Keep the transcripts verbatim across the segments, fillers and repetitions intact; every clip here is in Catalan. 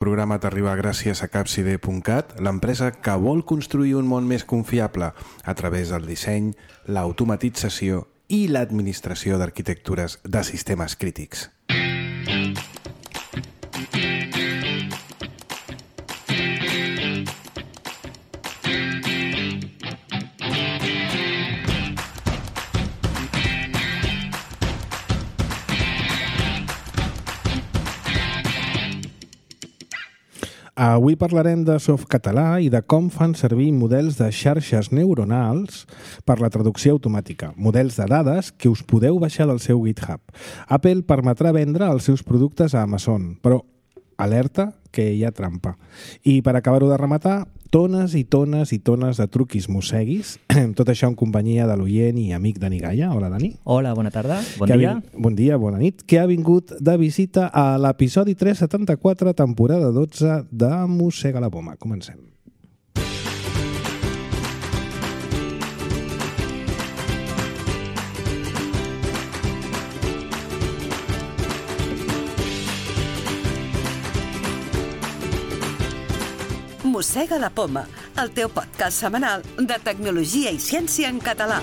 El programa t'arriba gràcies a capcide punt cat, l'empresa que vol construir un món més confiable a través del disseny, l'automatització i l'administració d'arquitectures de sistemes crítics. Avui parlarem de softcatalà i de com fan servir models de xarxes neuronals per la traducció automàtica, models de dades que us podeu baixar del seu GitHub. Apple permetrà vendre els seus productes a Amazon, però alerta que hi ha trampa. I per acabar-ho de rematar, tones i tones i tones de truquis mosseguis, tot això en companyia de l'oient i amic Dani Gaia. Hola, Dani. Hola, bona tarda, bon que dia. Vin... Bon dia, bona nit. Que ha vingut de visita a l'episodi tres setanta-quatre, temporada dotze de Mossega la Poma. Comencem. Mossega la Poma, el teu podcast setmanal de tecnologia i ciència en català.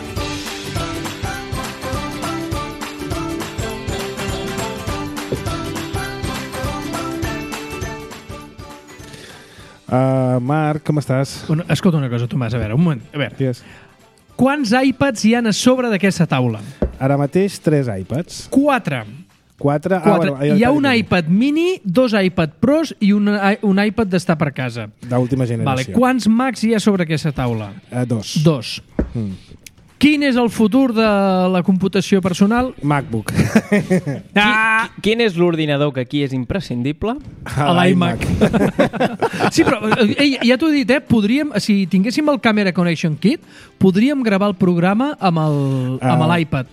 Uh, Marc, com estàs? Bueno, escolta una cosa, Tomàs, a veure, un moment. A veure, Digues. quants iPads hi ha a sobre d'aquesta taula? Ara mateix, tres iPads. Quatre. Quatre. Quatre. Ah, bueno, hi ha un iPad mini, dos iPad Pros i un, un iPad d'estar per casa. D'última generació. Vale. Quants Macs hi ha sobre aquesta taula? Uh, dos. Dos. Mm. Quin és el futur de la computació personal? MacBook. Ah! Quin és l'ordinador que aquí és imprescindible? L'iMac. Sí, però ei, ja t'ho he dit, eh? Podríem, si tinguéssim el Camera Connection Kit, podríem gravar el programa amb el, amb l'iPad.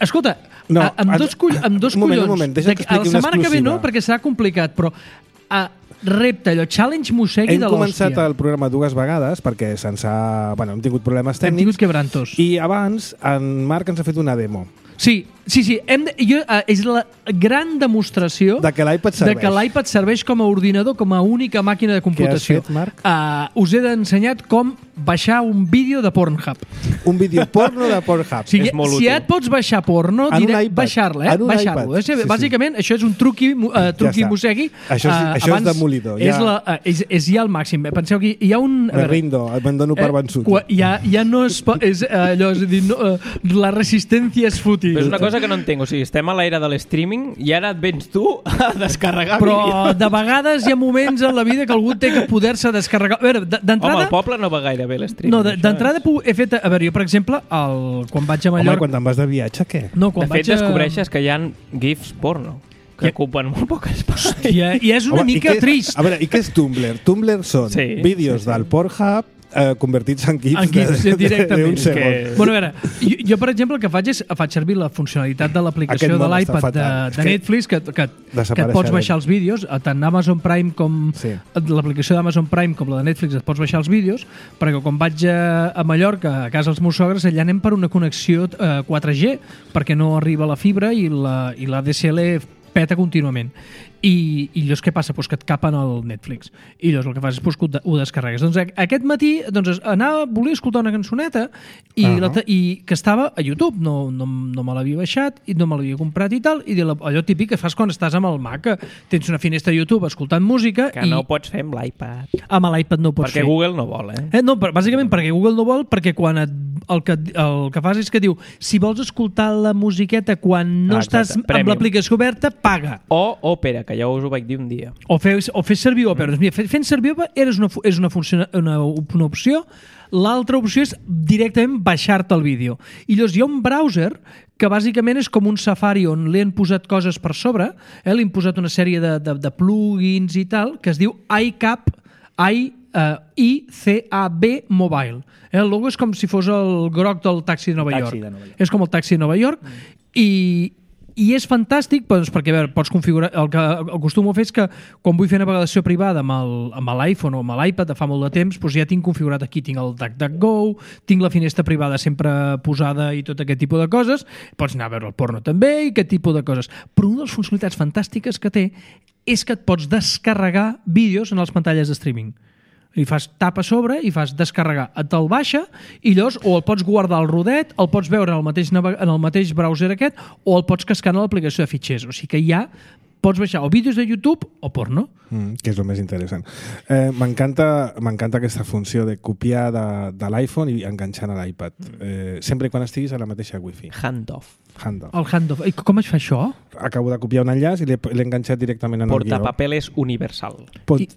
Escolta, No, amb dos, coll amb dos un moment, collons. un moment, deixa que expliqui la setmana una que ve no, exclusiva. perquè serà complicat, però uh, repte, allò, challenge mossegui Hem de l'hòstia. començat el programa dues vegades perquè se'ns ha... Bueno, hem tingut problemes Hem tècnics. tingut quebrantos. I abans en Marc ens ha fet una demo. Sí, sí, sí. Hem de, jo, uh, és la gran demostració De que l'iPad de serveix. que l'iPad serveix com a ordinador, com a única màquina de computació. Què has fet, Marc? Uh, us he d'ensenyar com baixar un vídeo de Pornhub. Un vídeo porno de Pornhub. O sigui, És molt si útil. ja et pots baixar porno, En un diré iPad. baixar-la, eh? En un Baixar-lo. iPad. Sí, Sí, sí. Bàsicament, això és un truqui, uh, truqui està. mossegui. Això és- Uh, això és abans demolidor, És, ja. la, uh, és, és ja el màxim. Eh? Penseu que hi ha un... a Me veure, rindo, me'n dono per vençut. qua- ja, ja no es pot... És, uh, allò, és a dir, no, uh, la resistència és fútil. Però és una cosa que no entenc, o sigui, estem a l'era de l'streaming i ara et vens tu a descarregar Però vídeos. de vegades hi ha moments en la vida que algú té que poder-se descarregar. A veure, d- Home, d'entrada... al poble no va gaire bé l'streaming. No, de- això d'entrada pu- he fet... A veure, jo, per exemple, el, quan vaig a Home, Mallorca... quan te'n vas de viatge, què? No, és. quan De fet, vaig a... descobreixes que hi ha GIFs porno que Ja- ocupen molt poc espai. Hòstia, i és una Home, i mica què és- trist. A veure, i què és Tumblr? Tumblr són Sí, vídeos sí, sí. del Pornhub eh, convertits en GIFs, En GIFs, de, directament. d'un És segon. que- Bueno, a veure, jo, jo, per exemple, el que faig és faig servir la funcionalitat de l'aplicació Aquest de món està l'iPad de, fatal. És de que Netflix que, que, que et desapareixerem. pots baixar els vídeos, tant Amazon Prime com Sí. l'aplicació d'Amazon Prime com la de Netflix et pots baixar els vídeos, perquè quan vaig a, a Mallorca, a casa dels meus sogres, allà anem per una connexió eh, quatre G, perquè no arriba la fibra i la, i la D S L peta contínuament. I, i llavors què passa? Pues que et capen el Netflix. I llavors el que fas és pues, que ho de- ho descarregues. Doncs a- aquest matí doncs, anava, volia escoltar una cançoneta i, Ah. la, te- i que estava a YouTube. No, no, no me l'havia baixat i no me l'havia comprat i tal. I de la, allò típic que fas quan estàs amb el Mac, que tens una finestra de YouTube escoltant música Que i no ho pots fer amb l'iPad. amb l'iPad no ho pots Perquè fer. Google no vol, eh? Eh, no, però bàsicament perquè Google no vol, perquè quan et, el, que, el que fas és que diu si vols escoltar la musiqueta quan no Ah, exacte, estàs amb Premium. l'aplicació oberta, paga. O Opera, que ja us ho vaig dir un dia. O fer, o fer servir Opera. Mm. Mira, fent servir Opera és una, fu- és una, funciona, una, una opció. L'altra opció és directament baixar-te el vídeo. I llavors hi ha un browser que bàsicament és com un Safari on li han posat coses per sobre, eh? li han posat una sèrie de, de, de plugins i tal, que es diu iCap, I, uh, I C A B Mobile. Eh? El logo és com si fos el groc del taxi de Nova Taxi York. de Nova York. És com el taxi de Nova York. Mm. I, i és fantàstic doncs, perquè a veure, pots configurar el que acostumo a fer és que quan vull fer navegació privada amb el- amb l'iPhone o amb l'iPad de fa molt de temps, doncs ja tinc configurat aquí, tinc el DuckDuckGo, tinc la finestra privada sempre posada i tot aquest tipus de coses, pots anar a veure el porno també i aquest tipus de coses, però una de les funcionalitats fantàstiques que té és que et pots descarregar vídeos en les pantalles de streaming. I fas tap a sobre i fas descarregar. Te'l baixa i llavors o el pots guardar al rodet, el pots veure en el mateix, en el mateix browser aquest, o el pots cascar en l'aplicació de fitxers. O sigui que ja pots baixar o vídeos de YouTube o porno. Mm, que és el més interessant. Eh, M'encanta m'encanta aquesta funció de copiar de, de l'iPhone i enganxar a l'iPad. Eh, sempre quan estiguis a la mateixa wifi. Handoff. Handoff. El handoff. I com es fa això? Acabo de copiar un enllaç i l'he l'he enganxat directament en el guió. Portapapeles universal. Pot... I...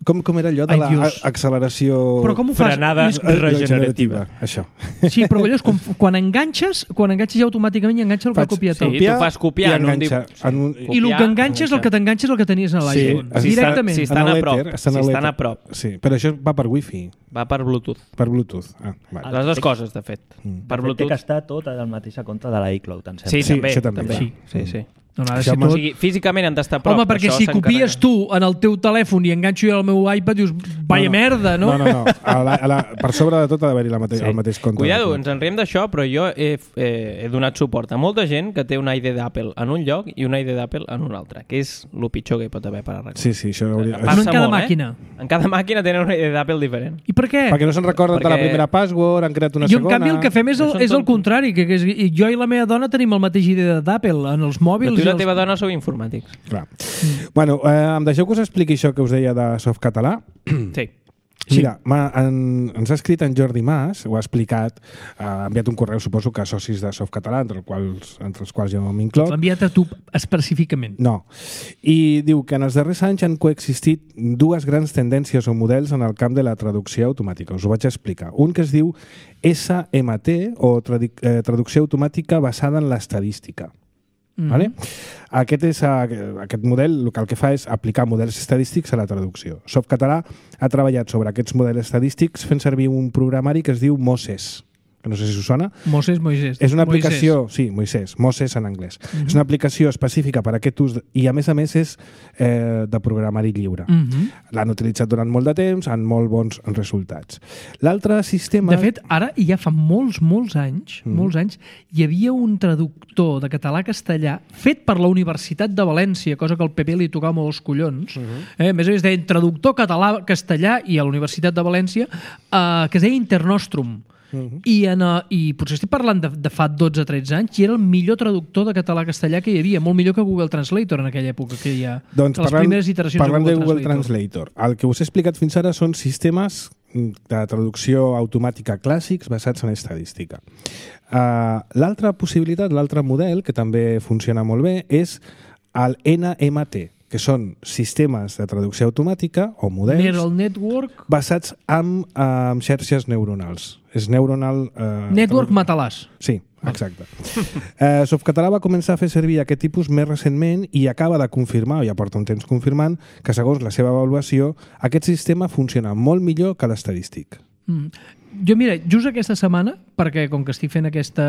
Com, com era allò de Ai, Dios. l'acceleració... Però com ho fas? Frenada regenerativa. Això. Sí, però allò és com, quan enganxes, quan enganxes ja automàticament enganxa el que ha copiat. Sí, Sí. tu fas copiar en un... enganxa, en un... I el que enganxes, el que t'enganxes és el que tenies a l'iPhone. Sí, Directament. Si estan En a l'èter, prop. estan Si a estan l'èter. a prop. Sí, però això va per wifi, Va per Bluetooth. per Bluetooth. Ah, vale. Les dues coses, de fet. Per De fet, té Bluetooth. que estar tot al mateix compte de l'iCloud, em sembla. Sí, Sí, també. això també, també. clar. Sí, sí. No, no, ha de Això ser m'ha- O tot... sigui, físicament han d'estar a prop. Home, perquè això si s'encarrega. copies tu en el teu telèfon i enganxo jo al meu iPad, dius, vaya No, no. merda, no? No, no, no. A la, a la, per sobre de tot ha d'haver-hi la mate Sí. el mateix compte. Cuidado, ens en riem d'això, però jo he, eh, he donat suport a molta gent que té una I D d'Apple en un lloc i una I D d'Apple en un altre, que és el pitjor que hi pot haver per arreglar. Sí, sí, això hauria... Passa No en cada molt, màquina. Eh? En cada màquina tenen una I D d'Apple diferent. I per què? Perquè no se'n recorden de la Perquè- primera password, han creat una Jo, en segona... canvi, el que fem és el, Són és el tontos. contrari, que, que és, i jo i la meva dona tenim el mateix idea d'Apple en els Però mòbils. tu i i la els... teva dona sou informàtics. Clar. Bueno, eh, em deixeu que us expliqui això que us deia de Softcatalà? Sí. Sí. Mira, ma, en, ens ha escrit en Jordi Mas, ho ha explicat, eh, ha enviat un correu, suposo que a socis de Softcatalà, entre, els quals, entre els quals jo m'incloc. L'ha enviat a tu específicament. No. I diu que en els darrers anys han coexistit dues grans tendències o models en el camp de la traducció automàtica. Us ho vaig explicar. Un que es diu S M T, o tradu eh, traducció automàtica basada en l'estadística. Mhm. Vale? Aquest, és, eh, aquest model el que, el que fa és aplicar models estadístics a la traducció. Softcatalà ha treballat sobre aquests models estadístics fent servir un programari que es diu Moses, que no sé si us sona. Moses, Moisés. És una Moisés. aplicació, sí, Moisés, Moses en anglès. Mhm. És una aplicació específica per a aquest ús i a més a més és eh, de programari lliure. Mhm. L'han utilitzat durant molt de temps, amb molt bons resultats. L'altre sistema... De fet, ara, i ja fa molts, molts anys, Mhm. molts anys, hi havia un traductor de català a castellà fet per la Universitat de València, cosa que al P P li tocava molt els collons. Mhm. eh? A més a més, deien traductor català-castellà i a la Universitat de València, eh, que es deia Internostrum. Mhm. I, en, uh, I potser estic parlant de, de fa dotze tretze anys i era el millor traductor de català-castellà que hi havia, molt millor que Google Translator en aquella època, que hi ha Doncs les parlant, primeres iteracions parlant de de Google, Google Translator. El que us he explicat fins ara són sistemes de traducció automàtica clàssics basats en estadística. Uh, l'altra possibilitat, l'altre model, que també funciona molt bé, és el N M T, que són sistemes de traducció automàtica o models Neural Network, basats en, en xarxes neuronals. És neuronal... Eh, Network tradu- Matalàs. Sí, exacte. eh, Softcatalà va començar a fer servir aquest tipus més recentment i acaba de confirmar, o ja porta un temps confirmant, que segons la seva avaluació, aquest sistema funciona molt millor que l'estadístic. Mm. Jo, mira, just aquesta setmana, perquè com que estic fent aquesta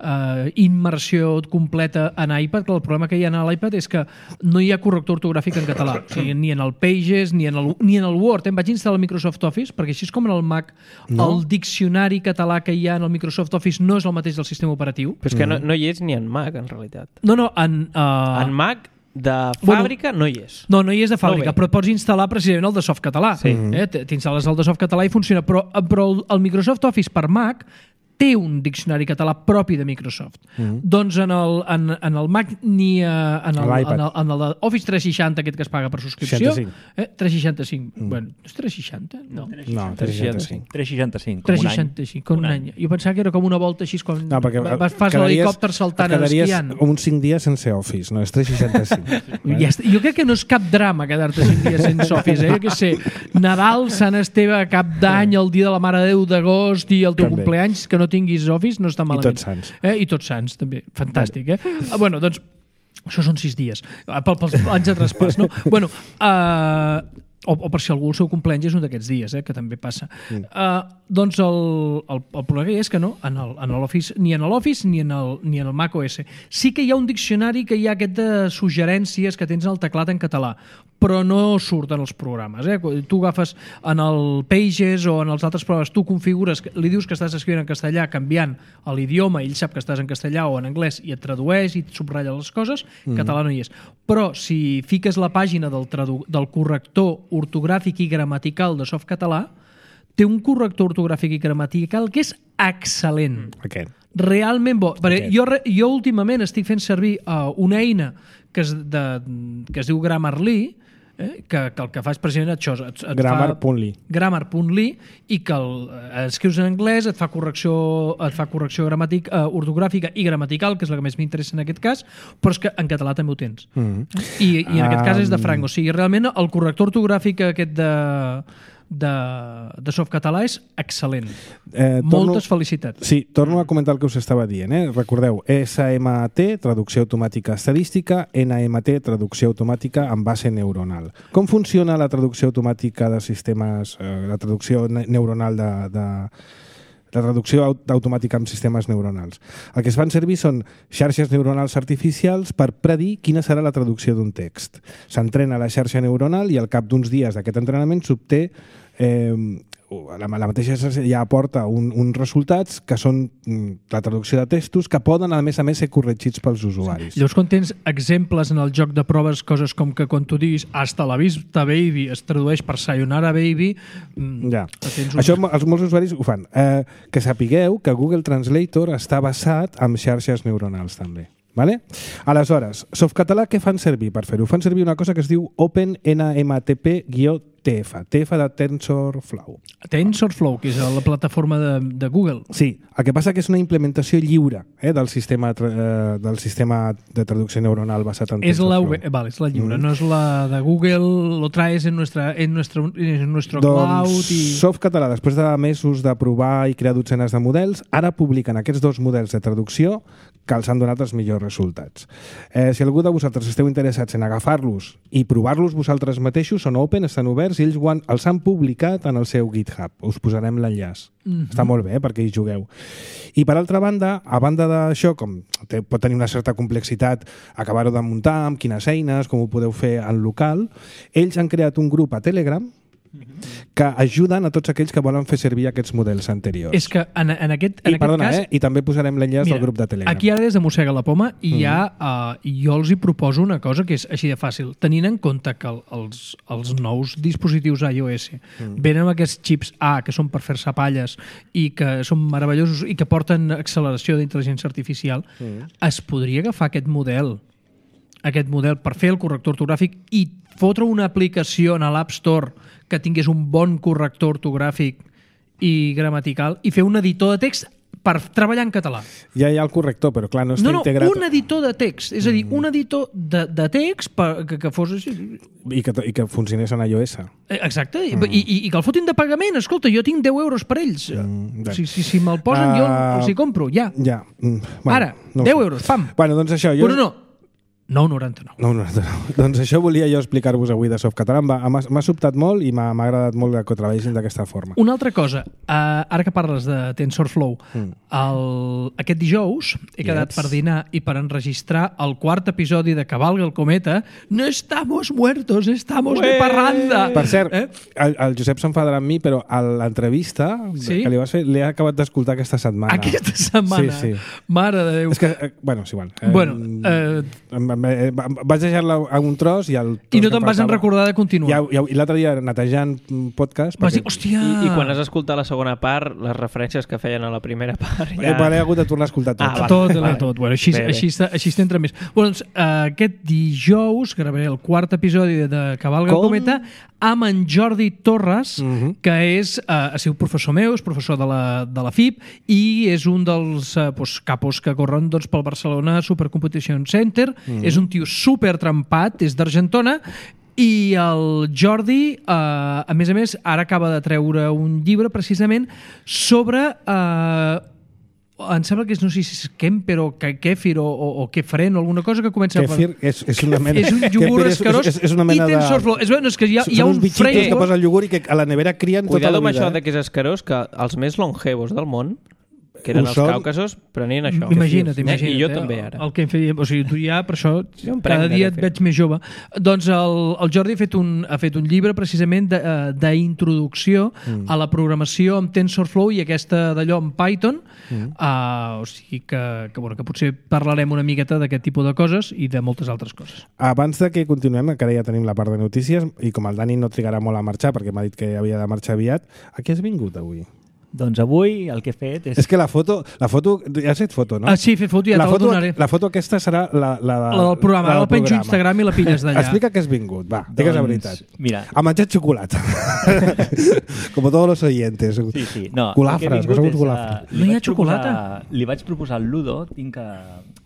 uh, immersió completa en iPad, que el problema que hi ha a l'iPad és que no hi ha corrector ortogràfic en català, o sigui, ni en el Pages, ni en el, ni en el Word. Em vaig instal·lar el Microsoft Office, perquè així és com en el Mac, No. el diccionari català que hi ha en el Microsoft Office no és el mateix del sistema operatiu. Però és que no, no hi és ni en Mac, en realitat. No, no, en... Uh, En Mac, de Bueno, fàbrica, no hi és. No, no hi és de fàbrica, No ve. però et pots instal·lar precisament el de Softcatalà. Sí. Eh? T'instal·les el de Softcatalà i funciona. Però, però el, el Microsoft Office per Mac té un diccionari català propi de Microsoft. Mm. Doncs en el, en, en el Mac ni a, en, el, A l'iPad. en, el, en el de Office tres seixanta, aquest que es paga per subscripció. seixanta-cinc. Eh? tres seixanta-cinc. Mm. Bueno, és tres seixanta? No. No, tres seixanta-cinc. tres seixanta-cinc, com tres un any. seixanta-cinc, com un any. Jo pensava que era com una volta així, com No, perquè vas, fas quedaries- l'helicòpter saltant et quedaries esquiant. uns cinc dies sense Office, no? És tres seixanta-cinc. Ja està. Jo crec que no és cap drama quedar-te cinc dies sense Office, eh? Jo què sé, Nadal, Sant Esteve, Cap d'Any, el dia de la Mare de Déu d'agost i el teu També. compleanys, que no tinguis Office, no està malament. Tots Sants. Eh? I Tots Sants, també. Fantàstic, eh? Ah, bueno, doncs, això són sis dies, Ah, pel, pels anys de traspàs, no? Bueno, uh, o, o per si algú el seu compleany és un d'aquests dies, eh? Que també passa. Mm. Uh, doncs el, el, el problema és que no, en el, en l'Office, ni en l'Office ni en el, ni en el macOS. Sí que hi ha un diccionari que hi ha aquest de suggerències que tens al teclat en català, però no surten els programes. Eh? Tu agafes en el Pages o en els altres programes, tu configures, li dius que estàs escrivint en castellà canviant l'idioma, ell sap que estàs en castellà o en anglès i et tradueix i et subratlla les coses, mm. català no hi és. Però si fiques la pàgina del, tradu del corrector ortogràfic i gramatical de Softcatalà, té un corrector ortogràfic i gramatical que és excel·lent. Aquest. Realment bo. Perquè jo, jo últimament estic fent servir uh, una eina que es, de, que es diu Grammarly, eh, que, que el que fa és precisament això. Et, et Grammar punt ly. Grammar punt ly i que el, eh, escrius en anglès, et fa correcció, et fa correcció gramàtic, eh, ortogràfica i gramatical, que és la que més m'interessa en aquest cas, però és que en català també ho tens. Mm -hmm. I, I en aquest cas és de franc. O sigui, realment el corrector ortogràfic aquest de... de, de Softcatalà és excel·lent. Eh, torno, Moltes felicitats. Sí, torno a comentar el que us estava dient. Eh? Recordeu, S M T, traducció automàtica estadística, N M T, traducció automàtica amb base neuronal. Com funciona la traducció automàtica de sistemes, eh, la traducció ne neuronal de... de la traducció automàtica amb sistemes neuronals? El que es fan servir són xarxes neuronals artificials per predir quina serà la traducció d'un text. S'entrena la xarxa neuronal i al cap d'uns dies d'aquest entrenament s'obté eh, la, la mateixa xarxa ja aporta un, uns resultats que són la traducció de textos que poden, a més a més, ser corregits pels usuaris. Llavors, quan tens exemples en el joc de proves, coses com que quan tu diguis hasta la vista baby es tradueix per sayonara baby, ja. Un... Això els molts usuaris ho fan. Eh, que sapigueu que Google Translator està basat en xarxes neuronals també. Vale? Aleshores, Softcatalà què fan servir per fer-ho? Fan servir una cosa que es diu OpenNMTP-T F, T F de TensorFlow. TensorFlow, que és la plataforma de, de Google. Sí, el que passa que és una implementació lliure eh, del, sistema, eh, del sistema de traducció neuronal basat en és TensorFlow. La, vale, és la lliure, mm. no és la de Google, lo traes en, nuestra, en, nuestro, en nuestro doncs, cloud. I... Softcatalà, després de mesos de provar i crear dotzenes de models, ara publiquen aquests dos models de traducció que els han donat els millors resultats. Eh, si algú de vosaltres esteu interessats en agafar-los i provar-los vosaltres mateixos, són open, estan oberts i ells han, els han publicat en el seu GitHub. Us posarem l'enllaç. Mm-hmm. Està molt bé eh, perquè hi jugueu. I per altra banda, a banda d'això, com té, pot tenir una certa complexitat acabar-ho de muntar, amb quines eines, com ho podeu fer en local, ells han creat un grup a Telegram que ajuden a tots aquells que volen fer servir aquests models anteriors. És que en, en aquest, en I, aquest perdona, cas... Eh? I també posarem l'enllaç del grup de Telegram. Aquí ara des de mossega la poma i mm-hmm. ja, uh, jo els hi proposo una cosa que és així de fàcil. Tenint en compte que el, els, els nous dispositius iOS mm. venen amb aquests xips A que són per fer-se palles i que són meravellosos i que porten acceleració d'intel·ligència artificial, mm. es podria agafar aquest model aquest model per fer el corrector ortogràfic i fotre una aplicació en l'App Store que tingués un bon corrector ortogràfic i gramatical i fer un editor de text per treballar en català. Ja hi ha el corrector, però clar, no està no, no, integrat... No, un editor de text. És a dir, un editor de, de text per, que, que fos... I que, I que funcionés en iOS. Exacte. Mm. I, i, I que el fotin de pagament. Escolta, jo tinc deu euros per ells. Mm, si si, si me'l posen, uh, jo els hi compro. Ja. Ja. Mm, bueno, ara, no deu euros, pam. Bueno, doncs això... Jo... Bueno, no. nou coma noranta-nou. nou coma noranta-nou. Doncs això volia jo explicar-vos avui de Softcatalà. M'ha sobtat molt i m'ha agradat molt que ho treballessin d'aquesta forma. Una altra cosa, uh, ara que parles de TensorFlow, mm. el, aquest dijous he quedat yes. per dinar i per enregistrar el quart episodi de Cabalga el cometa. No estamos muertos, estamos Ué! de parranda! Per cert, eh? el, el Josep s'enfadarà amb mi, però a l'entrevista sí? que li vas fer l'he acabat d'escoltar aquesta setmana. Aquesta setmana? Sí, sí. Mare de Déu. És que, eh, bueno, és igual. Eh, bueno, eh... vaig deixar-la a un tros i el I no te'n vas en recordar de continuar. I, i l'altre dia netejant podcast vas dir, hòstia... I, I quan has escoltat la segona part, les referències que feien a la primera part ja... He hagut de tornar a escoltar tot. Ah, tot, vale. tot. Bueno, així, bé, bé. així, està, així t'entra més. Bueno, doncs, uh, aquest dijous gravaré el quart episodi de Cabalga el cometa amb en Jordi Torres, uh-huh. que és, uh, ha sigut professor meu, és professor de la, de la F I P i és un dels uh, pues, capos que corren doncs, pel Barcelona Supercompetition Center. Uh-huh. És un tio super trempat, és d'Argentona, i el Jordi, eh, a més a més, ara acaba de treure un llibre precisament sobre eh, em sembla que és, no sé si és Kemper o Kefir o, o, o Kefren o alguna cosa que comença Kefir és, és una mena... és un iogurt és, escarós és, és una mena i TensorFlow. És, bueno, és que hi ha, són hi ha un uns bitxitos framework... que posa el iogurt i que a la nevera crien tota Cuidado la amb vida. això de que és escarós, que els més longevos del món, que eren Ho els són. càucasos, prenien això. Imagina't, Eh? imagina't. I jo eh? també, ara. El que em feia, o sigui, tu ja, per això, Jo em prenc, cada dia de et fet. veig més jove. Doncs el, el Jordi ha fet un, ha fet un llibre precisament de, eh, d'introducció mm. a la programació amb TensorFlow i aquesta d'allò amb Python. Mm. Uh, o sigui que, que, bueno, que potser parlarem una miqueta d'aquest tipus de coses i de moltes altres coses. Abans de que continuem, que ara ja tenim la part de notícies, i com el Dani no trigarà molt a marxar, perquè m'ha dit que havia de marxar aviat, a què has vingut avui? Doncs avui el que he fet és... És que la foto, la foto ja has fet foto, no? Ah, sí, he fet foto, ja la te la foto, donaré. la foto aquesta serà la, la, de, La del programa, la la penjo a Instagram i la pilles d'allà. Explica que has vingut, va, digues la veritat. Mira, A menjar xocolata. Como todos los oyentes. sí, sí. No, Culafres, el que he que vingut som és, culafres. uh, li No hi ha vaig xocolata? proposar- Li vaig proposar al Ludo, tinc que...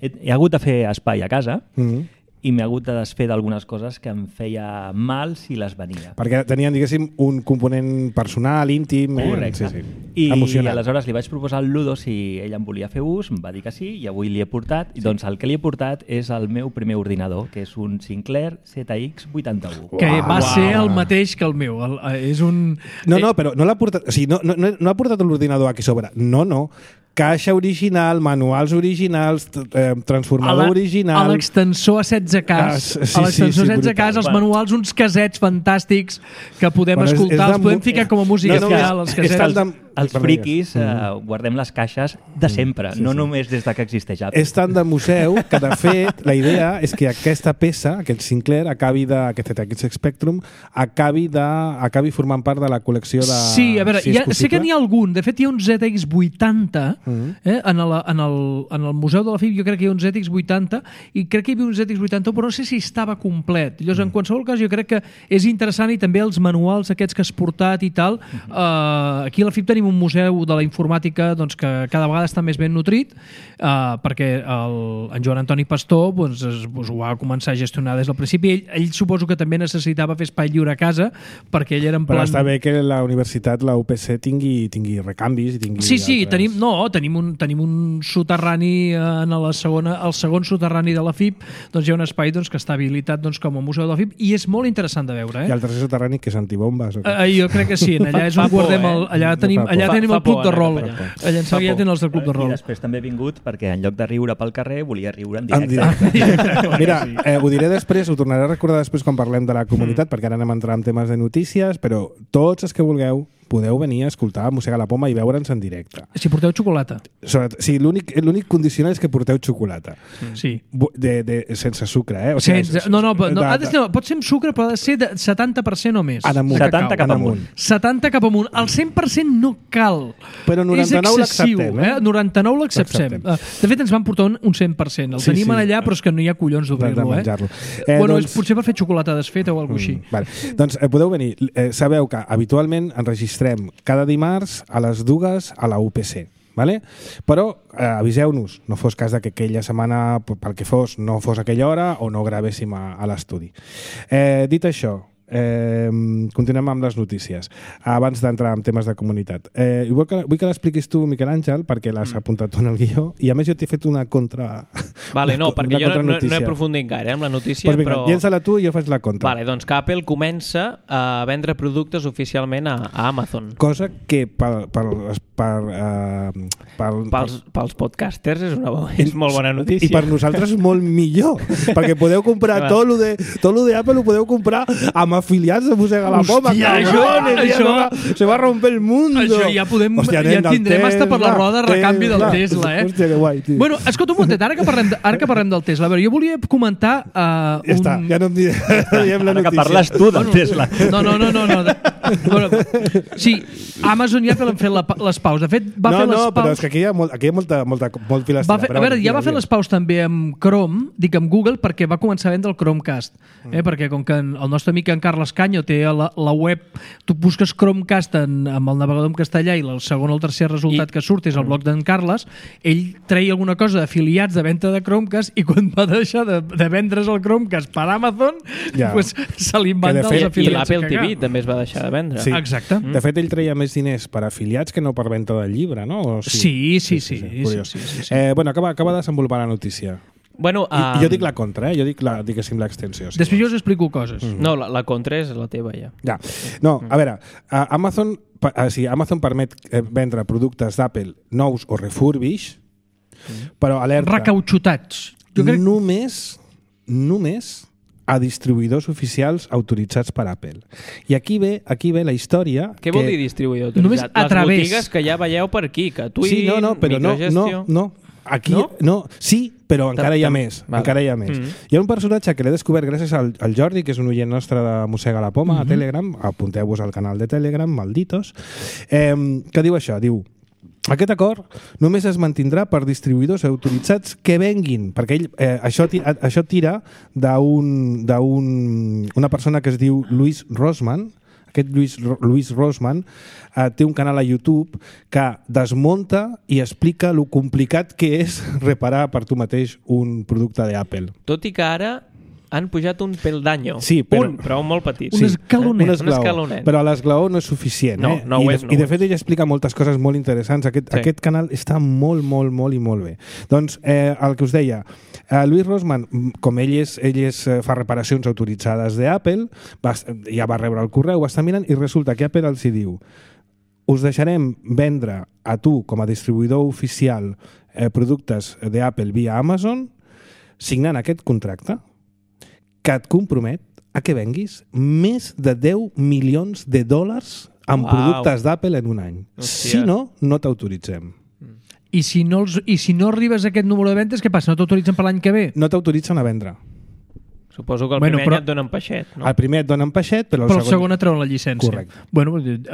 He, he hagut de fer espai a casa Mm. i m'he hagut de desfer d'algunes coses que em feia mal si les venia. Perquè tenien, diguéssim, un component personal, íntim, eh? Correcte. sí, sí. I emocional. aleshores li vaig proposar al Ludo si ell em volia fer ús, em va dir que sí, i avui li he portat. Sí. Doncs el que li he portat és el meu primer ordinador, que és un Sinclair Z X vuitanta-u. Que va Uau. ser el mateix que el meu. El, eh, és un... No, no, però no l'ha portat... O sigui, no, no, no ha portat l'ordinador aquí sobre. No, no. Caixa original, manuals originals, eh, transformador A la- original... A l'extensor a setze K. Ah, sí, a l'extensor sí, sí, a setze K, brutal. els manuals, uns casets fantàstics que podem Bueno, és- escoltar, és de els podem mu- ficar com a música No, no, final, els és- casets. és tant de- Els Perdó, friquis digues. eh, guardem les caixes de sempre, Sí, no sí. només des de que existeix Apple. És tant de museu que, de fet, la idea és que aquesta peça, aquest Sinclair, acabi de, aquest Z X Spectrum, acabi, de, acabi formant part de la col·lecció de... Sí, a veure, si hi és ha, sé que possible. n'hi ha algun. De fet, hi ha un Z X vuitanta Mhm. eh, en, el, en, el, en el Museu de la F I B. Jo crec que hi ha un Z X vuitanta i crec que hi havia un Z X vuitanta, però no sé si estava complet. Llavors, en qualsevol cas, jo crec que és interessant i també els manuals aquests que has portat i tal. Uh, aquí a la F I B tenim un museu de la informàtica doncs, que cada vegada està més ben nutrit uh, perquè el, en Joan Antoni Pastor doncs, es, doncs, ho va començar a gestionar des del principi. Ell, ell suposo que també necessitava fer espai lliure a casa perquè ell era en Però plan... està bé que la universitat, la U P C, tingui, tingui recanvis i tingui... Sí, sí, altres... tenim, no, tenim un, tenim un soterrani eh, en la segona, el segon soterrani de la F I B, doncs hi ha un espai doncs, que està habilitat doncs, com a museu de la F I B i és molt interessant de veure. I Eh? el tercer soterrani, que és antibombes. O què? Uh, jo crec que sí, en allà és on Fa por, guardem el, eh? allà tenim, Fa por. allà Fa- tenim fa el club por de anar rol. cap allà. Allà en Sala ja tenen els del club de I rol. després també he vingut perquè en lloc de riure pel carrer volia riure en En directe. directe. Mira, eh, ho diré després, ho tornaré a recordar després quan parlem de la comunitat, perquè ara anem a entrar en temes de notícies, però tots els que vulgueu podeu venir a escoltar Mossega la Poma i veure'ns en directe. Si porteu xocolata. Sobretot, sí, l'únic l'únic condicional és que porteu xocolata. Sí. Bu- De, de, sense sucre, eh? O Sense, no, no, no, de- ha de, no, pot ser amb sucre, però ha de ser de setanta per cent o més. En amunt. de cacau. setanta cap amunt. setanta cap amunt. El cent per cent no cal. Però noranta-nou és excessiu, l'acceptem, eh? noranta-nou l'acceptem. L'acceptem. De fet, ens van portar un, un cent per cent. El Sí, tenim sí. allà, però és que no hi ha collons de d'obrir-lo, eh? menjar-lo. Eh, Eh, bueno, doncs- és potser per fer xocolata desfeta o alguna cosa així. Mm, vale. Doncs eh, podeu venir. Eh, sabeu que habitualment enregistrem cada dimarts a les dues a la U P C. Vale? Però eh, aviseu-nos, no fos cas de que aquella setmana, p- pel que fos, no fos aquella hora o no gravéssim a, a l'estudi. Eh, dit això, eh, continuem amb les notícies abans d'entrar en temes de comunitat. Eh, vull que, vull que l'expliquis tu, Miquel Àngel, perquè l'has Mm. apuntat tu en el guió, i a més jo t'he fet una contra... Vale, no, una perquè jo no, no, no he contranotícia. aprofundit gaire eh, amb la notícia, Pues vinga, però... llença-la tu i jo faig la contra. Vale, doncs que Apple comença a vendre productes oficialment a, a Amazon. Cosa que per, per, per, uh, per, Pels, pels podcasters és, una, bo- és molt bona notícia. I per nosaltres molt millor, perquè podeu comprar Clar. tot lo de tot lo de Apple ho podeu comprar amb afiliats de Mossega la Poma. Hòstia, cabrones, això- ja se va, se va romper el mundo. Això ja podem- ja nen, del tindrem hasta per la roda recanvi del Tesla, eh? Hòstia, que guai, tio. Bueno, escolta un momentet, ara que parlem de, ara que parlem del Tesla, a veure, jo volia comentar uh, ja està, un... ja no em diré, no diem la Ara que notícia. parles tu del Tesla. No, no, no, no, no. Bueno, sí, Amazon ja l'han fet la, les paus. De fet, va no, fer les no, paus... però és que aquí hi ha, molt, aquí hi ha molta, molta, molt filastra. Va fer, a veure, ja va fer les paus també amb Chrome, dic amb Google, perquè va començar a vendre el Chromecast. Eh? Perquè com que en, el nostre amic en Carles Canyo té a la, la web, tu busques Chromecast en, amb el navegador en castellà i el segon o el tercer resultat I- que surt és el blog d'en Carles, ell treia alguna cosa d'afiliats de venda de Chromecast i quan va deixar de, de vendre's el Chromecast per Amazon, Ja. pues, se li van Que de dar fet- els I, i afiliats. l'Apple a T cagar. V també es va deixar de vendre. Sí. Exacte. De fet, ell treia més diners per afiliats que no per venda del llibre, no? O Sí, sí, sí. sí, Curiós. sí, sí, sí. Eh, bueno, acaba, acaba de desenvolupar la notícia. Bueno, I, um, jo dic la contra, eh? Jo dic, la, diguéssim, l'extensió. Si Després jo us explico coses. Mm. No, la, la contra és la teva, ja. Ja. No, a veure, a Amazon, pa- o sigui, Amazon permet eh, vendre productes d'Apple nous o refurbish, però alerta, Recauxutats. Jo crec... només, només a distribuïdors oficials autoritzats per Apple. I aquí ve, aquí ve la història... Què que... vol dir distribuïdor Només autoritzat? a Les través. botigues que ja veieu per aquí, que Twin, Sí, no, no, però no, microgestió... no, no. Aquí, No? no? Sí, però encara hi ha tam- més. vale. Encara hi ha més. Mhm. Hi ha un personatge que l'he descobert gràcies al, al Jordi, que és un oient nostre de Mossega la Poma, a Telegram. Apunteu-vos al canal de Telegram, malditos. Eh, que diu això? Diu, aquest acord només es mantindrà per distribuïdors autoritzats que venguin, perquè ell, eh, això, ti- això tira d'un d'un- una persona que es diu Luis Rosman. Aquest Luis, Luis Rosman eh, té un canal a YouTube que desmunta i explica lo complicat que és reparar per tu mateix un producte d'Apple. Tot i que ara han pujat un peldaño. Sí, però- Un, però molt petit. Un escalonet. Un Un esglaó. escalonet. Però l'esglaó no és suficient. No, eh? no ho I, de, és, no I de ho fet ell explica moltes coses molt interessants. Aquest, Sí. aquest canal està molt, molt, molt i molt bé. Doncs eh, el que us deia, eh, Luis Rosman, com ell, és, ell és, eh, fa reparacions autoritzades d'Apple, va, ja va rebre el correu, va estar mirant i resulta que Apple els hi diu us deixarem vendre a tu com a distribuïdor oficial eh, productes d'Apple via Amazon signant aquest contracte que et compromet a que venguis més de deu milions de dòlars en Uau. productes d'Apple en un any. Hòstia. Si no, no t'autoritzem. I si, no els, I si no arribes a aquest número de ventes, què passa? No t'autoritzen per l'any que ve? No t'autoritzen a vendre. Suposo que el Bueno, primer però- any et donen peixet, no? El primer et donen peixet, però el Però el segon... segon et treuen la llicència. Correcte. Bueno,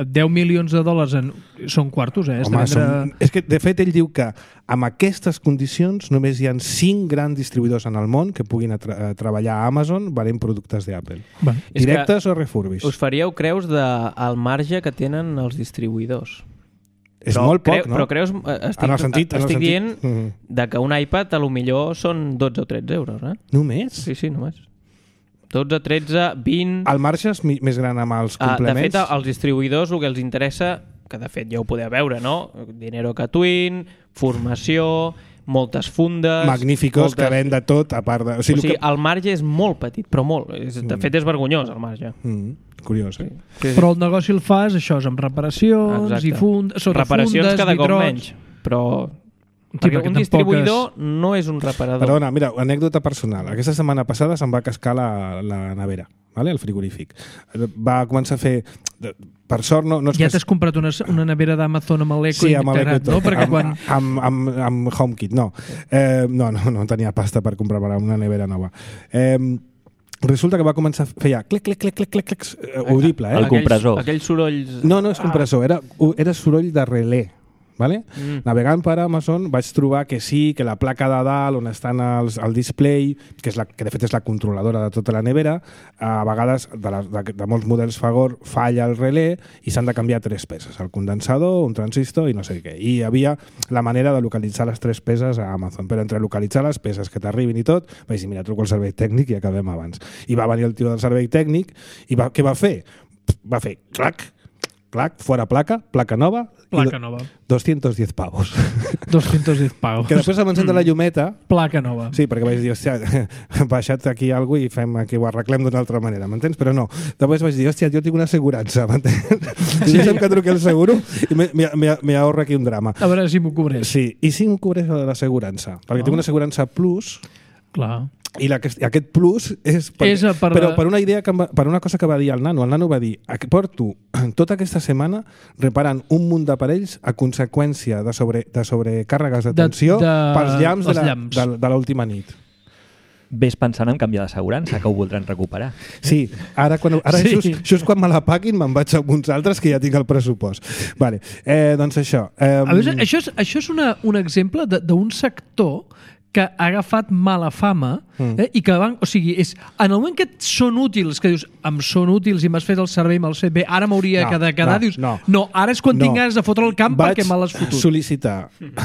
deu milions de dòlars en... són quartos, eh? Has de Home, vendre... som... És que, de fet, ell diu que amb aquestes condicions només hi ha cinc grans distribuïdors en el món que puguin tra a treballar a Amazon venent productes d'Apple. Bueno, És que Directes o refurbish. Us faríeu creus del de, marge que tenen els distribuïdors. És però molt poc, creu, no? Però creus... eh, Estic, En el sentit- en el estic sentit- dient Mhm. de que un iPad a lo millor són dotze o tretze euros, eh? Només? Sí, sí, només. dotze, tretze, vint... El marge és mi- més gran amb els Ah, de complements? fet, als distribuïdors el que els interessa, que de fet ja ho podeu veure, no? Dinero que Twin, formació, moltes fundes... Magníficos, moltes... que ven de tot, a part de... O sigui, que... el marge és molt petit, però molt. És, de fet, és vergonyós, el marge. Mm, curiós, eh? Sí, sí. Però el negoci el fas, això és amb reparacions Exacte. i fund... sota Reparacions fundes, cada cop vitrots. menys, però... Sí, perquè perquè un tampoc distribuïdor no és un reparador. Perdona, mira, anècdota personal. Aquesta setmana passada se'm va cascar la, la nevera, vale? El frigorífic. Va començar a fer... Per sort, no, no és Ja que... t'has comprat una, una nevera d'Amazon amb l'Eco Sí, amb l'Eco i integrat, tot. no? Perquè amb, quan... amb, amb, amb HomeKit, no. Eh, no, no, no tenia pasta per comprar una nevera nova. Eh, resulta que va començar a fer ja clic, clic, clic, clic, clic, clic, eh, audible, eh? El compressor. Aquells sorolls... No, no és compressor, era, era soroll de relé. Vale? Mm. Navegant per Amazon vaig trobar que sí, que la placa de dalt on estan els, el display, que, és la, que de fet és la controladora de tota la nevera, a vegades de, la, de, de molts models Fagor falla el relé i s'han de canviar tres peces, el condensador, un transistor i no sé què. I hi havia la manera de localitzar les tres peces a Amazon, però entre localitzar les peces que t'arribin i tot, vaig dir, mira, truco al servei tècnic i acabem abans. I va venir el tio del servei tècnic i va, què va fer? Va fer clac, clac, fora placa, placa nova, Placa nova. doscientos diez pavos. doscientos diez pavos. Que després em encén la llumeta, Placa nova. sí, perquè vaig dir, hòstia, baixat aquí alguna i fem aquí, ho arreglem d'una altra manera, m'entens? Però no. Després vaig dir, hòstia, jo tinc una assegurança, m'entens? I deixa'm que truqui el seguro i me, me, me, me ahorra aquí un drama. A veure si m'ho cobreix. Sí, i si m'ho cobreix la de l'assegurança, perquè Ah. tinc una assegurança plus Clar. i la, i aquest plus és, per, És per però la- per una idea que em va, per una cosa que va dir el nano. El nano va dir, porto tota aquesta setmana reparant un munt d'aparells a conseqüència de, sobre, de sobrecàrregues de De- tensió de- pels llamps de els la- llamps. de, de l'última nit. Ves pensant en canviar d'assegurança, que ho voldran recuperar. Sí, ara, quan, ara Sí. sí. just, just quan me la paguin me'n vaig a uns altres que ja tinc el pressupost. Vale. Eh, doncs això. Eh, A veure, això és, això és una, un exemple de- d'un sector que ha agafat mala fama mm. eh? I que van, o sigui, és, en el moment que et són útils, que dius, em són útils i m'has fet el servei, me'ls fet bé, ara m'hauria no, de quedar, no, dius, no. no, ara és quan no. tinc ganes de fotre el camp Vaig perquè me l'has fotut. Vaig sol·licitar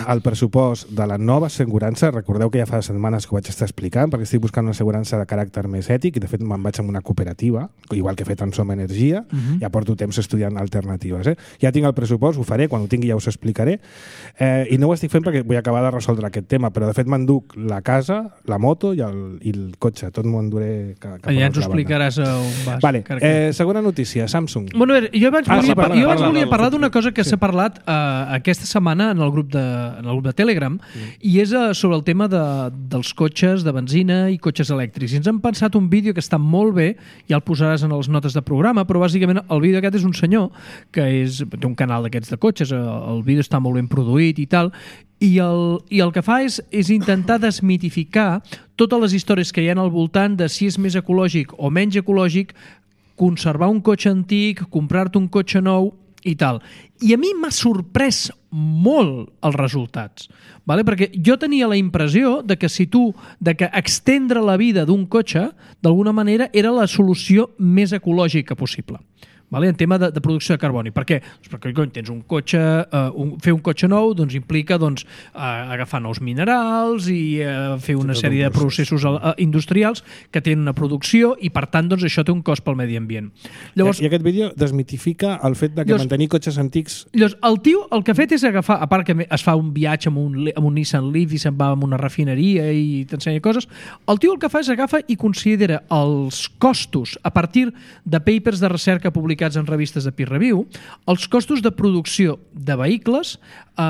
el pressupost de la nova assegurança, recordeu que ja fa setmanes que ho vaig estar explicant, perquè estic buscant una assegurança de caràcter més ètic, i de fet me'n vaig amb una cooperativa, igual que he fet en Som Energia, uh-huh. ja porto temps estudiant alternatives. Eh? Ja tinc el pressupost, ho faré, quan ho tingui ja us explicaré, eh, i no ho estic fent perquè vull acabar de resoldre aquest tema, però de fet m'enduc la casa, la moto i el, i el cotxe, tot m'ho enduré cap a ja ens ho l'altra explicaràs a on vas. Vale. Eh, segona notícia, Samsung. Bueno, a veure, jo abans Ah, volia, sí, parla, jo abans parla, volia parla, parlar d'una parla. cosa que Sí. s'ha parlat eh, aquesta setmana en el grup de, en el grup de Telegram, mm. i és eh, sobre el tema de, dels cotxes de benzina i cotxes elèctrics. I ens han pensat un vídeo que està molt bé, ja el posaràs en les notes de programa, però bàsicament el vídeo aquest és un senyor que és, té un canal d'aquests de cotxes, el vídeo està molt ben produït i tal, i el, i el que fa és, és intentar desmitificar totes les històries que hi ha al voltant de si és més ecològic o menys ecològic conservar un cotxe antic, comprar-te un cotxe nou i tal. I a mi m'ha sorprès molt els resultats, vale? Perquè jo tenia la impressió de que si tu, de que extendre la vida d'un cotxe d'alguna manera era la solució més ecològica possible. Vale? En tema de, de producció de carboni. Per què? Doncs perquè quan tens un cotxe, uh, un, fer un cotxe nou doncs, implica doncs, uh, agafar nous minerals i uh, fer una sèrie de processos uh, industrials que tenen una producció i per tant doncs, això té un cost pel medi ambient. Llavors, I aquest vídeo desmitifica el fet de que llavors, mantenir cotxes antics... Llavors, el tio el que ha fet és agafar, a part que es fa un viatge amb un, amb un Nissan Leaf i se'n va a una refineria i t'ensenya coses, el tio el que fa és agafa i considera els costos a partir de papers de recerca publicats en revistes de peer review, els costos de producció de vehicles, eh,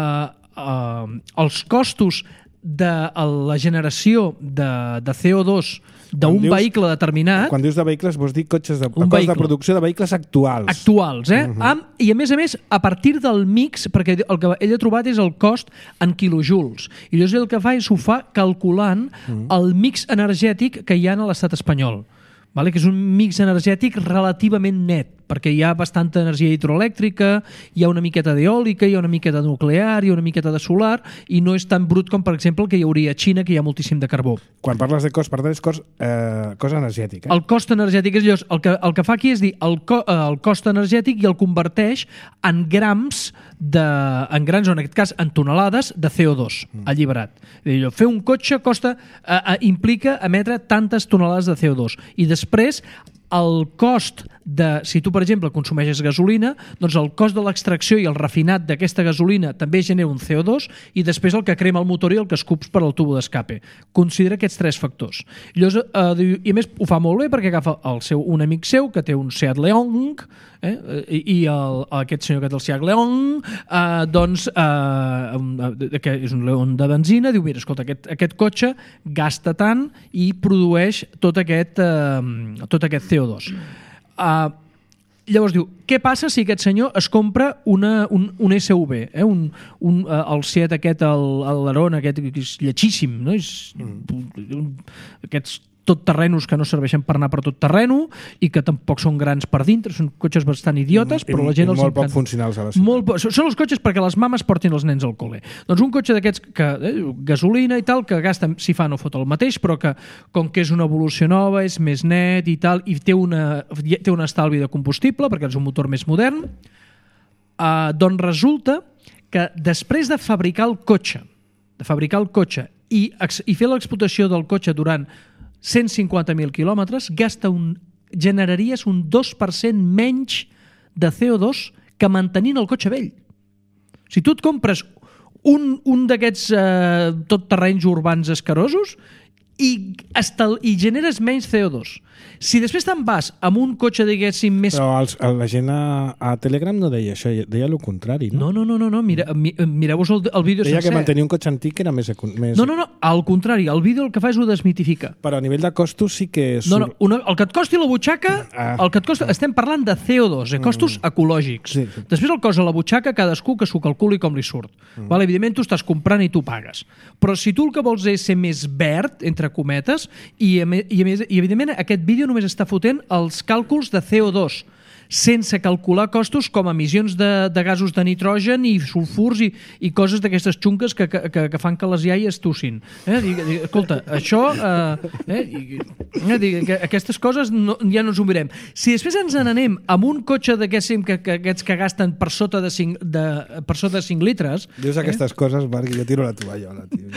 eh, els costos de la generació de, de C O dos d'un vehicle determinat. Quan dius de vehicles vols dir cotxes de, un cost vehicle. de producció de vehicles actuals. Actuals, eh? Uh-huh. Amb, I a més a més, a partir del mix, perquè el que ell ha trobat és el cost en quilojoules. I llavors el que fa és ho fa calculant uh-huh. el mix energètic que hi ha a l'estat espanyol. Vale? Que és un mix energètic relativament net, perquè hi ha bastanta energia hidroelèctrica, hi ha una miqueta d'eòlica, hi ha una miqueta de nuclear, hi ha una miqueta de solar, i no és tan brut com, per exemple, el que hi hauria a Xina, que hi ha moltíssim de carbó. Quan parles de cost, per tant, és cost, eh, cost energètic. Eh? El cost energètic és llavors, el que, el que fa aquí és dir el, co, el cost energètic i el converteix en grams, de, en grams, o en aquest cas en tonelades de C O dos mm. alliberat. Dir, fer un cotxe costa, eh, eh, implica emetre tantes tonelades de C O dos i després el cost de, si tu per exemple consumeixes gasolina, doncs el cost de l'extracció i el refinat d'aquesta gasolina també genera un C O dos i després el que crema el motor i el que escups per al tubo d'escape. Considera aquests tres factors. Llavors, eh, i a més ho fa molt bé perquè agafa el seu, un amic seu que té un Seat León, eh, i, i el, aquest senyor que té el Seat León, eh, doncs eh, que és un León de benzina, diu, mira, escolta, aquest, aquest cotxe gasta tant i produeix tot aquest, eh, tot aquest C O dos. Uh, llavors diu, què passa si aquest senyor es compra una, un, un S U V, eh? un, un, uh, el Seat aquest, l'Aron aquest, que és lletxíssim, no? És, mm. un, aquests tot terrenos que no serveixen per anar per tot terreno i que tampoc són grans per dintre, són cotxes bastant idiotes, I, però la gent i els molt encanta. poc funcionals a la ciutat. Molt, són els cotxes perquè les mames portin els nens al col·le. Doncs un cotxe d'aquests que eh, gasolina i tal, que gasta, si fa no fot el mateix, però que com que és una evolució nova, és més net i tal, i té, una, té un estalvi de combustible perquè és un motor més modern, eh, doncs resulta que després de fabricar el cotxe, de fabricar el cotxe i, i fer l'explotació del cotxe durant cent cinquanta mil quilòmetres, gasta un, generaries un dos per cent menys de C O dos que mantenint el cotxe vell. Si tu et compres un, un d'aquests eh, tot terrenys urbans escarosos i, estal, i generes menys C O dos. Si després te'n vas amb un cotxe, diguéssim, més... Però els, la gent a, a Telegram no deia això, deia el contrari, no? No, no, no, no, mira, mi, mireu-vos el, el vídeo deia sencer. Que mantenir un cotxe antic era més... més... No, no, no, al contrari, el vídeo el que fa és ho desmitifica. Però a nivell de costos sí que... És... No, no, una, el que et costi la butxaca, ah. el que et costa, estem parlant de C O dos, eh, costos mm. ecològics. Sí, sí. Després el cost a la butxaca, cadascú que s'ho calculi com li surt. Mm. Vale, evidentment tu estàs comprant i tu pagues. Però si tu el que vols és ser més verd, entre cometes, i, a més, i, a més, i evidentment aquest vídeo només està fotent els càlculs de C O dos. sense calcular costos com emissions de, de gasos de nitrogen i sulfurs i, i coses d'aquestes xunques que, que, que fan que les iaies tossin. Eh? Dic, dic, escolta, això... Eh, eh, eh, dic, que aquestes coses no, ja no ens ho mirem. Si després ens n'anem amb un cotxe d'aquests que, que, aquests que gasten per sota de cinc, de, per sota de cinc litres... Dius aquestes eh? coses, Marc, i jo tiro la tovallola, tio.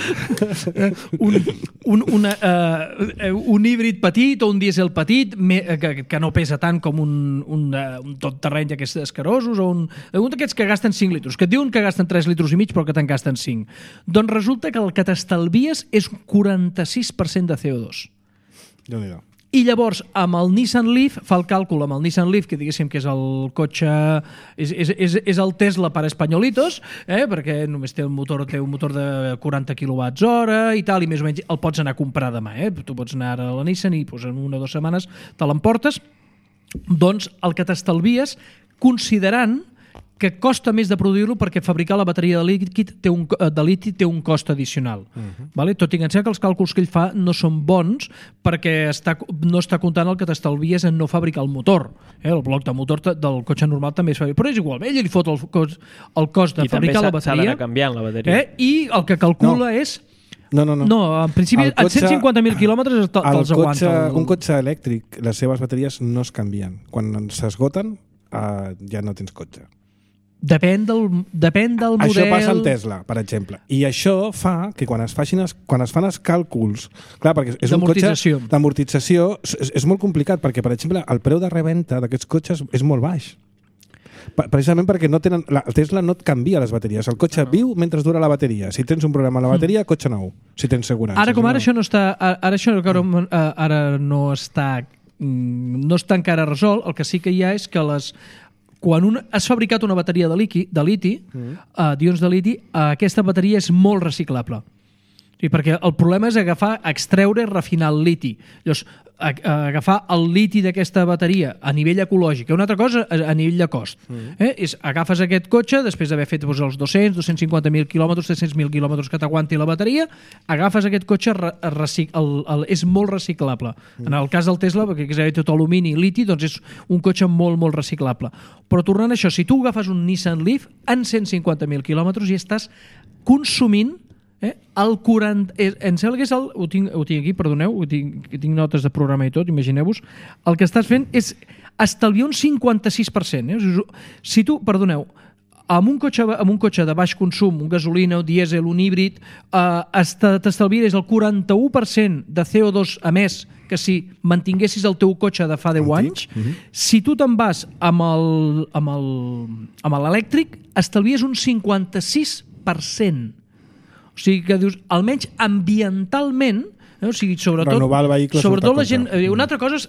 un, un, una, uh, un híbrid petit o un dièsel petit me, que, que no pesa tant com un, un, uh, un tot terreny d'aquests escarosos o un, un d'aquests que gasten cinc litres, que et diuen que gasten tres litres i mig però que te'n gasten cinc. Doncs resulta que el que t'estalvies és un quaranta-sis per cent de C O dos. Déu-n'hi-do. I llavors, amb el Nissan Leaf, fa el càlcul amb el Nissan Leaf, que diguéssim que és el cotxe... És, és, és, és el Tesla per espanyolitos, eh? Perquè només té un motor, té un motor de quaranta quilowatts hora i tal, i més o menys el pots anar a comprar demà. Eh? Tu pots anar ara a la Nissan i pues, en una o dues setmanes te l'emportes. Doncs el que t'estalvies, considerant que costa més de produir-lo perquè fabricar la bateria de líquid té un, de liti té un cost addicional. Uh-huh. Vale? Tot i que em sembla que els càlculs que ell fa no són bons perquè està, no està comptant el que t'estalvies en no fabricar el motor. Eh? El bloc de motor del cotxe normal també es fabrica. Però és igual, ell li fot el cost, el cost de I fabricar la bateria. I també s'ha d'anar canviant la bateria. Eh? I el que calcula no. és... No, no, no. No, en principi, a cent cinquanta mil quilòmetres te'ls aguanta. El... Un cotxe elèctric, les seves bateries no es canvien. Quan s'esgoten, uh, ja no tens cotxe. Depèn del, depèn del model... Això passa amb Tesla, per exemple. I això fa que quan es, facin es, quan es fan els càlculs... Clar, perquè és un cotxe d'amortització, és, és molt complicat, perquè, per exemple, el preu de reventa d'aquests cotxes és molt baix. Precisament perquè no tenen, la, el Tesla no et canvia les bateries. El cotxe no. viu mentre dura la bateria. Si tens un problema a la bateria, mm. cotxe nou. Si tens segurança. Ara com ara no. això no està... Ara això ara, ara no està... No està encara resolt. El que sí que hi ha és que les... Quan un, has fabricat una bateria de, liqui, de liti, mm. uh, d'ions de liti, uh, aquesta bateria és molt reciclable. Sí, perquè el problema és agafar, extreure i refinar el liti. Llavors, a, a agafar el liti d'aquesta bateria a nivell ecològic, una altra cosa a, a nivell de cost. Mm. Eh? És, agafes aquest cotxe, després d'haver fet doncs, els dos-cents, dos-cents cinquanta mil quilòmetres, tres-cents mil quilòmetres que t'aguanti la bateria, agafes aquest cotxe, re, recic, el, el, és molt reciclable. Mm. En el cas del Tesla, perquè és tot alumini i liti, doncs és un cotxe molt, molt reciclable. Però tornant a això, si tu agafes un Nissan Leaf en cent cinquanta mil quilòmetres i estàs consumint Eh? El quaranta... Eh, em sembla que és el... Ho tinc, ho tinc aquí, perdoneu, ho tinc, tinc notes de programa i tot, imagineu-vos. El que estàs fent és estalviar un cinquanta-sis per cent. Eh? Si tu, perdoneu, amb un cotxe, amb un cotxe de baix consum, un gasolina, un dièsel, un híbrid, eh, t'estalviaries el quaranta-u per cent de C O dos a més que si mantinguessis el teu cotxe de fa deu anys. Uh-huh. Si tu te'n vas amb el, amb el, amb l'elèctric, estalvies un cinquanta-sis per cent. O sigui que dius, almenys ambientalment, eh? O sigui, sobretot, renovar el vehicle sobretot la gent... Eh, una altra cosa és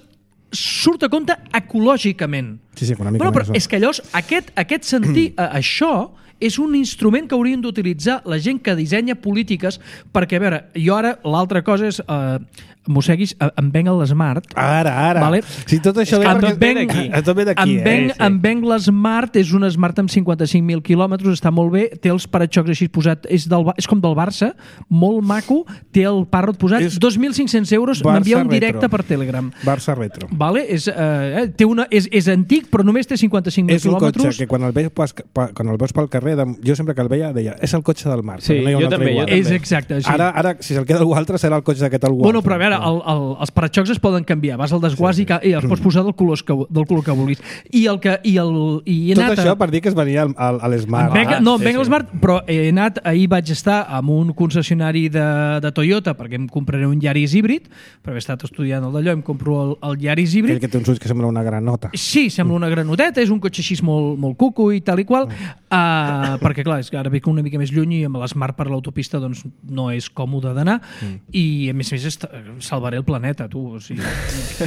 surt a compte ecològicament. Sí, sí, econòmicament. Bueno, però és que llavors, aquest, aquest sentir, eh, això és un instrument que haurien d'utilitzar la gent que dissenya polítiques, perquè, a veure, jo ara, l'altra cosa és... Eh, mosseguis, em venc l'Smart. Ara, ara. Vale? Si tot això ve em perquè... venc, tot ve d'aquí, em venc, eh? Sí. Em venc l'Smart, és un Smart amb cinquanta-cinc mil quilòmetres, està molt bé, té els paraxocs així posat, és, del, és com del Barça, molt maco, té el Parrot posat, és dos mil cinc-cents euros, m'envia un directe retro. Per Telegram. Barça retro. Vale? És, eh, té una, és, és antic, però només té cinquanta-cinc mil quilòmetres. És un cotxe que quan el, veus, quan el veus pel carrer, jo sempre que el veia deia, és el cotxe del Marc. Sí, no jo, també, jo també. És exacte. Sí. Ara, ara, si se'l queda algú altre, serà el cotxe d'aquest algú bueno, altre. Però a veure, el, el, els paraxocs es poden canviar, vas al desguàs sí, sí. i, i els pots posar del color que, del color que vulguis. I el que... I el, i he Tot anat això a... per dir que es venia al, al, a l'Smart. Venc, no, sí, venc sí. l'Smart, però he anat, ahir vaig estar amb un concessionari de, de Toyota perquè em compraré un Yaris híbrid, per haver estat estudiant el d'allò, em compro el, el Yaris híbrid. Aquell que té uns ulls que sembla una granota. Sí, sembla una granoteta, és un cotxe així molt, molt cuco i tal i qual, uh, perquè clar, és que ara veig una mica més lluny i amb l'Smart per l'autopista doncs no és còmode d'anar mm. i a més a més est- salvaré el planeta, tu, o sigui,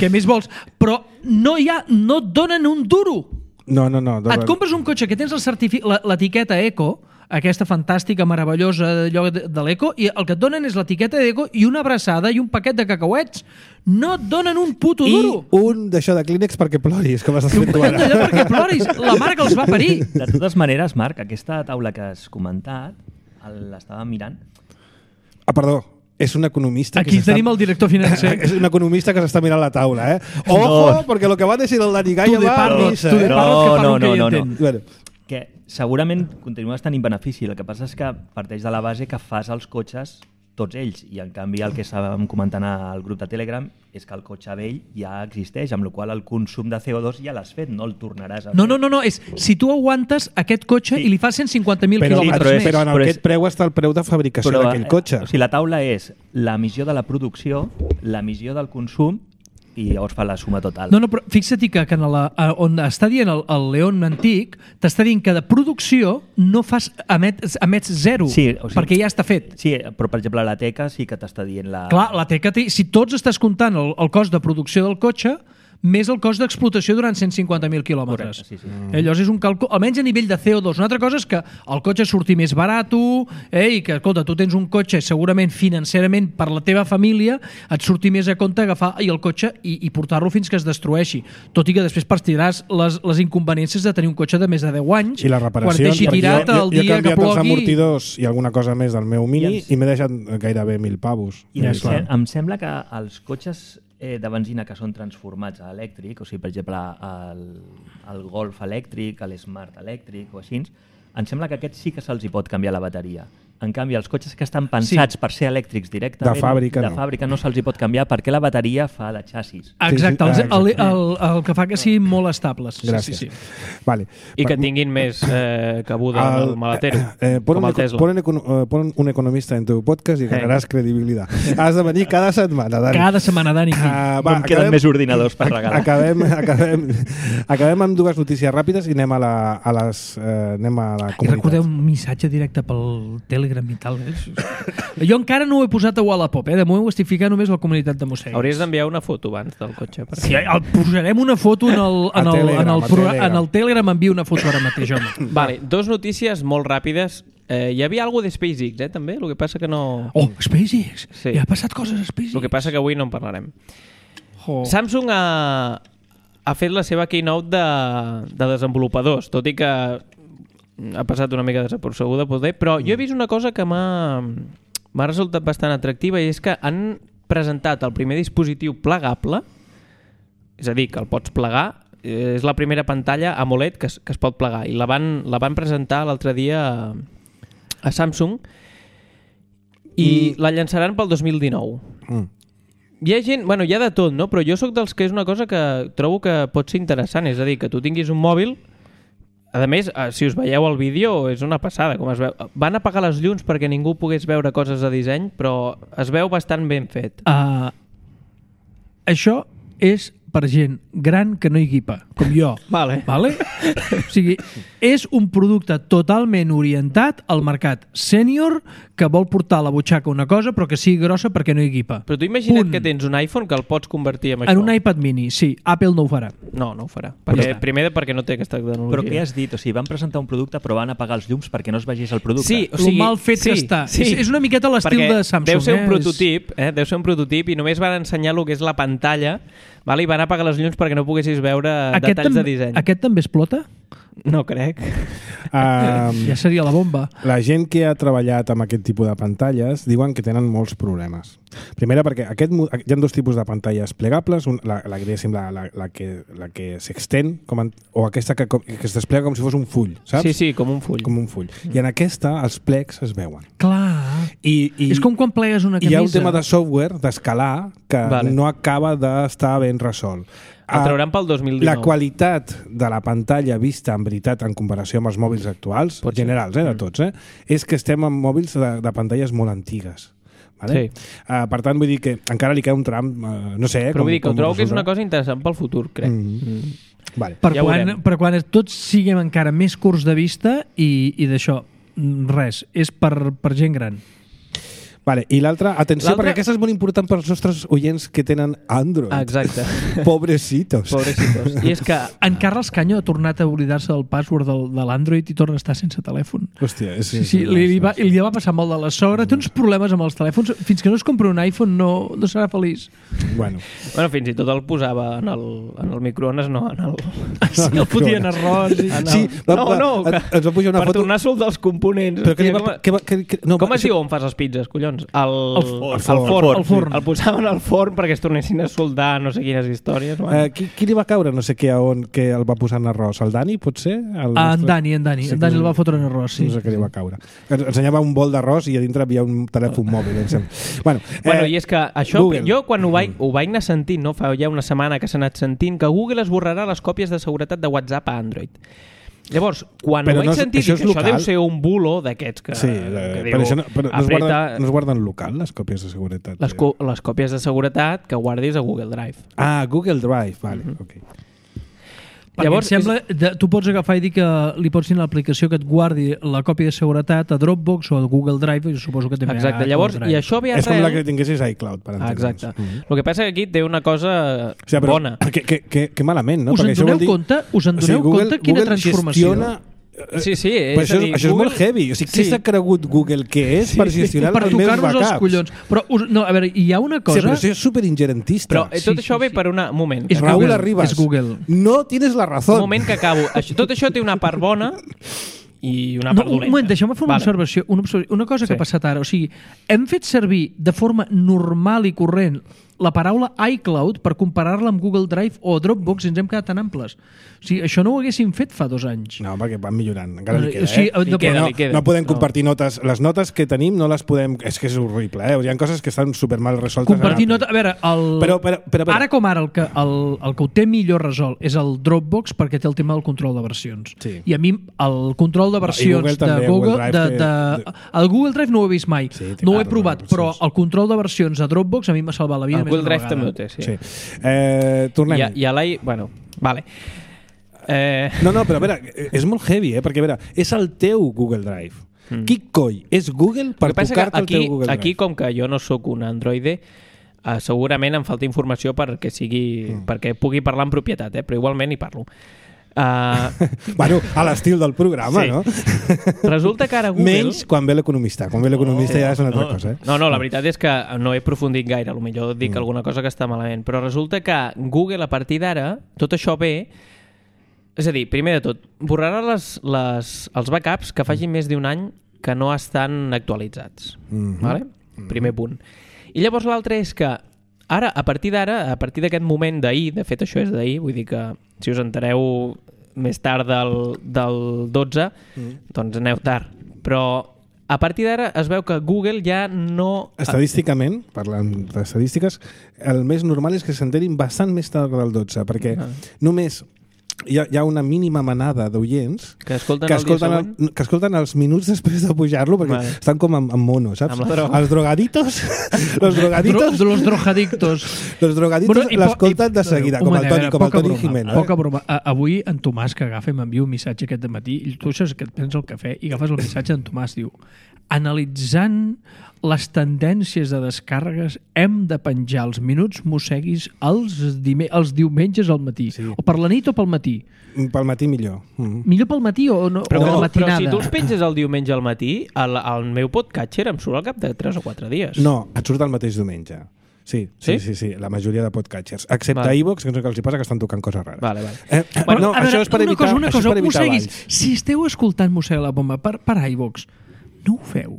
què més vols? Però no hi ha, no et donen un duro. No, no, no. Et compres un cotxe que tens el certifi- la- l'etiqueta Eco, aquesta fantàstica, meravellosa d'allò de, de l'Eco, i el que et donen és l'etiqueta d'Eco i una abraçada i un paquet de cacauets. No et donen un puto I duro. un d'això de Kleenex perquè ploris, com estàs Un fent tu paquet ara. d'allò perquè ploris. La mare que els va parir. De totes maneres, Marc, aquesta taula que has comentat, el- l'estava mirant. Ah, perdó. és un economista... Aquí que tenim el director financer. És un economista que s'està mirant la taula, eh? Ojo, No. perquè lo que va decir el Dani Gaya Tu de va a parlo, missa, tu de eh? No, parlo, que parlo no, que no, hi no, no. entén. Bueno, Que segurament continues tenint benefici, el que passa és que parteix de la base que fas els cotxes tots ells, i en canvi el que estàvem comentant al grup de Telegram és que el cotxe vell ja existeix, amb la qual cosa el consum de C O dos ja l'has fet, no el tornaràs a fer. No, no, no, no, és si tu aguantes aquest cotxe Sí. i li fas cent cinquanta mil però, quilòmetres però és- més. però en Però aquest és- preu està el preu de fabricació d'aquell cotxe. O sigui, la taula és l'emissió de la producció, l'emissió del consum, i llavors fa la suma total. No, no, però fixa't que, que en la, a- on està dient el, el León antic, t'està dient que de producció no fas, emet, emets zero, Sí, o sigui- perquè ja està fet. Sí, però per exemple la Teca sí que t'està dient la... Clar, la Teca, té- si tots estàs comptant el, el cost de producció del cotxe, més el cost d'explotació durant cent cinquanta mil quilòmetres. Correcte, sí, sí. Mm. Eh, llavors és un càlcul, almenys a nivell de C O dos. Una altra cosa és que el cotxe surti més barat eh, i que, escolta, tu tens un cotxe segurament financerament per la teva família, et surti més a compte agafar i el cotxe i, i portar-lo fins que es destrueixi. Tot i que després partiràs les, les inconveniències de tenir un cotxe de més de deu anys, I la reparació... quan deixi tirat jo, el jo, jo he dia que canviat els plogui... amortidors i alguna cosa més del meu Mini I ens- i m'he deixat gairebé mil pavos. I em, Ja, clar. sem em sembla que els cotxes eh, de benzina que són transformats a elèctric, o sigui, per exemple, el, el Golf elèctric, l'Smart elèctric o així, em sembla que aquests sí que se'ls hi pot canviar la bateria. En canvi, els cotxes que estan pensats sí. per ser elèctrics directament, De fàbrica, de no. fàbrica no se'ls hi pot canviar perquè la bateria fa de xassis. Exacte, Sí, sí. el, Ah, el, exacte. el, el que fa que siguin molt estables. Gràcies. Sí, sí, sí. Vale. I que Pa- tinguin més eh, cabuda en el maletero, eh, pon, com un, el Tesla. pon, un, econo- eh, pon un economista en tu podcast i ganaràs credibilitat. Has de venir cada setmana, Dani. Cada setmana, Dani. Ah, Va, em queden més ordinadors per regalar. Acabem, acabem, acabem amb dues notícies ràpides i anem a la, a les, eh, anem a la I comunitat. recordeu un missatge directe pel Telegram i tal. Eh? Jo encara no ho he posat a Wallapop, eh? De moment ho estic ficant només a la comunitat de Mossèn. Hauries d'enviar una foto abans del cotxe. Per Sí, el, posarem una foto en el, en A el, Telegram, en el, a pro- Telegram. en el Telegram envio una foto ara mateix, home. Vale, dos notícies molt ràpides. Eh, hi havia alguna de SpaceX, eh, també? El que passa que no... Oh, SpaceX! Sí. Ja ha passat coses a SpaceX. El que passa que avui no en parlarem. Oh. Samsung ha, ha fet la seva keynote de, de desenvolupadors, tot i que ha passat una mica desapercebuda, poder, però jo he vist una cosa que m'ha m'ha resultat bastant atractiva, i és que han presentat el primer dispositiu plegable, és a dir, que el pots plegar, eh, és la primera pantalla AMOLED que es, que es pot plegar, i la van, la van presentar l'altre dia a, a Samsung, i Mm. la llançaran pel dos mil dinou. Mm. Hi ha gent, bueno, hi ha de tot, no? Però jo sóc dels que és una cosa que trobo que pot ser interessant, és a dir, que tu tinguis un mòbil. A més, eh, si us veieu el vídeo, és una passada, com es veu. Van apagar les llums perquè ningú pogués veure coses de disseny, però es veu bastant ben fet. Uh, això és per gent gran que no hi equipa, com jo. Vale. Vale? O sigui, és un producte totalment orientat al mercat sènior que vol portar a la butxaca una cosa però que sigui grossa perquè no hi equipa. Però tu imagina't Punt. que tens un iPhone que el pots convertir en això. En un iPad mini, sí. Apple no ho farà. No, no ho farà. Però Perquè, està. primer perquè no té aquesta tecnologia. Però què has dit? O sigui, van presentar un producte però van apagar els llums perquè no es vegés el producte. Sí, o Lo sigui, mal fet sí, que està. Sí. És, és una miqueta l'estil Perquè de Samsung. deu ser un eh? prototip, eh? deu ser un prototip, i només van ensenyar el que és la pantalla, vale? I van apagar les llums perquè no poguessis veure Aquest, detalls tam de disseny. aquest també explota? No crec. Um, Ja seria la bomba. La gent que ha treballat amb aquest tipus de pantalles diuen que tenen molts problemes. Primera, perquè aquest, mo- hi ha dos tipus de pantalles plegables, un, la, la, la, la, la que, la que s'extén, com en, o aquesta que, que es desplega com si fos un full, saps? Sí, sí, com un full. Com un full. I en aquesta els plecs es veuen. Clar. I, i, És com quan plegues una hi camisa. ha un tema de software, d'escalar, que Vale. no acaba d'estar ben resolt. El trauran pel dos mil dinou. La qualitat de la pantalla vista en veritat en comparació amb els mòbils actuals, Pot ser. generals, eh, de tots, eh, és que estem amb mòbils de, de pantalles molt antigues. Vale? Sí. Uh, per tant, vull dir que encara li queda un tram, uh, no sé... Eh, Però vull dir que com trobo que és una resulta. cosa interessant pel futur, crec. Mm. Mm. Vale. Per, Ja ho quan, veurem. per quan tots siguem encara més curts de vista i, i d'això, mm, res, és per, per gent gran. Vale. I l'altra, atenció, L'altra- perquè aquesta és molt important per als nostres oients que tenen Android. Exacte. Pobrecitos. Pobrecitos. I és que En Carles Canyo ha tornat a oblidar-se del password del, de l'Android i torna a estar sense telèfon. Hòstia, és, Sí, sí, li, li, va, li va passar molt de la sogra. Té uns problemes amb els telèfons. Fins que no es compra un iPhone no, no serà feliç. Bueno, bueno, fins i tot el posava en el, en el microones, no en el... Sí, el fotien arròs. I... En el... Sí, va- no, no, va- que, ens va pujar una per foto- tornar a soldar els components. però que li Hòstia, va... com, Que va que, que, no, com es això- diu on fas les pizzas, collons? avions? El, El forn. El forn. El forn. El posaven al forn perquè es tornessin a soldar no sé quines històries. Uh, qui, qui li va caure no sé què a on que el va posar en arròs? El Dani, potser? El Ah, nostre... en Dani, en Dani. Sí, En Dani que- el va fotre en arròs, sí. No sé què li va caure. Ens ensenyava un bol d'arròs i a dintre havia un telèfon mòbil. Em sembla. Bueno, Bueno, eh, i és que això, Google. jo quan ho vaig, ho vaig anar sentint, no? Fa ja una setmana que s'ha anat sentint, que Google esborrarà les còpies de seguretat de WhatsApp a Android. Llavors, quan Però ho vaig no és- sentir, això dic, és això deu local? ser un bulo d'aquests que, sí, que eh, diu, però, això no, però no, es apreta guarden, no es guarden local, les còpies de seguretat. les, co les còpies de seguretat que guardis a Google Drive. Ah, Google Drive, vale, Mhm. ok. Perquè Llavors, em sembla, de, tu pots agafar i dir que li pots dir a l'aplicació que et guardi la còpia de seguretat a Dropbox o a Google Drive, i suposo que també Exacte, a llavors, Google i Drive. això ve És com la arrel... que tinguessis iCloud, per Ah, entendre'ns. exacte. Mhm. El que passa que aquí té una cosa O sigui, però, bona. Que, que, que, que malament, no? Us en Perquè això doneu vol dir... compte? Us en O sigui, doneu Google, compte quina Google transformació? Gestiona... Sí, sí, és Però això, a dir, això és Google- molt heavy. O sigui, què Sí. s'ha cregut Google que és Sí, per sí. gestionar Per els meus tocar-nos els backups? collons. Però, us, no, a veure, hi ha una cosa... Sí, però això és superingerentista. Però eh, tot Sí, això sí, ve sí. per un moment. És Raúl Google, Arribas. és Google. No tienes la Un razón. moment que acabo. Això, tot això té una part bona i una No, part un dolenta. moment, deixeu-me fer una, Vale. observació, una observació. Una cosa que Sí. ha passat ara. O sigui, hem fet servir de forma normal i corrent la paraula iCloud per comparar-la amb Google Drive o Dropbox i ens hem quedat tan amples. O sigui, això no ho haguéssim fet fa dos anys. No, perquè van millorant. Encara li Eh, queda, o sigui, eh? no, Li queda, no, li queda. no podem No. compartir notes. Les notes que tenim no les podem... És que és horrible, eh? Hi ha coses que estan supermal resoltes. Compartir en nota... A veure, el... Però, però, però, però, ara com ara, el que, el, el que ho té millor resolt és el Dropbox perquè té el tema del control de versions. Sí. I a mi el control de versions Google de també, Google... Google Drive de, té- de, el Google Drive no ho he vist mai. Sí, té no ho he part de provat, versions. però el control de versions a Dropbox a mi m'ha salvat la vida El més Google d'una Drive també ho vegada. té, sí. sí. Eh, tornem. I, a- I a l'I... Bueno, vale. Eh, No, no, però a veure, és molt heavy, eh? Perquè a veure, és el teu Google Drive. Mm. Qui coi és Google per el que passa que tocar-te el aquí, teu Google Drive? aquí, com que jo no sóc un androide, eh, segurament em falta informació perquè, sigui, mm. perquè pugui parlar en propietat, eh? Però igualment hi parlo. Uh, Bueno, a l'estil del programa, Sí. no? resulta que ara Google... Menys quan ve l'economista. Quan ve l'economista ja és una altra cosa, eh? No, no, la veritat és que no he aprofundit gaire, potser dic Mm. alguna cosa que està malament, però resulta que Google a partir d'ara, tot això ve... És a dir, primer de tot, borrarà les, les, els backups que facin més d'un any que no estan actualitzats. Mhm. Vale? Primer punt. I llavors l'altre és que ara, a partir d'ara, a partir d'aquest moment d'ahir, de fet això és d'ahir, vull dir que si us entereu més tard del, del dotze, Mm. doncs aneu tard. Però a partir d'ara es veu que Google ja no... Estadísticament, parlant d'estadístiques, el més normal és que s'enterin bastant més tard del dotze, perquè Ah. només hi ha, hi ha una mínima manada d'oients Que escolten que el dia escolten, següent? el, que escolten els minuts després de pujar-lo, perquè Vale. estan com amb, amb mono, saps? Amb la droga. Els drogaditos, los Dro, drogaditos, de los drogaditos. los drogaditos Bueno, i po- l'escolten i- de seguida, un com el moment, a Toni, veure, com el poca Toni broma, Jimeno. Poca Eh? broma. A, avui en Tomàs que agafa i m'envia un missatge aquest matí i tu això és que et prens el cafè i agafes el missatge d'en Tomàs, diu analitzant les tendències de descàrregues hem de penjar els minuts mosseguis els, dime, els diumenges al matí. Sí. O per la nit o pel matí. Pel matí millor. Mm. Millor pel matí o, no, Però, o a però, la però matinada. si tu els penges el diumenge al matí, el, el meu podcatcher em surt al cap de tres o quatre dies. No, et surt el mateix diumenge. Sí, sí, Sí? sí, sí, la majoria de podcatchers. Excepte Vale. iVox, que no sé què els hi passa, que estan tocant coses rares. Vale, vale. Eh, eh, Bueno, no, a veure, això és per una evitar, cosa, una això és cosa, per evitar mosseguis, balls. si esteu escoltant Mossega la Bomba per, per iVox, no ho feu.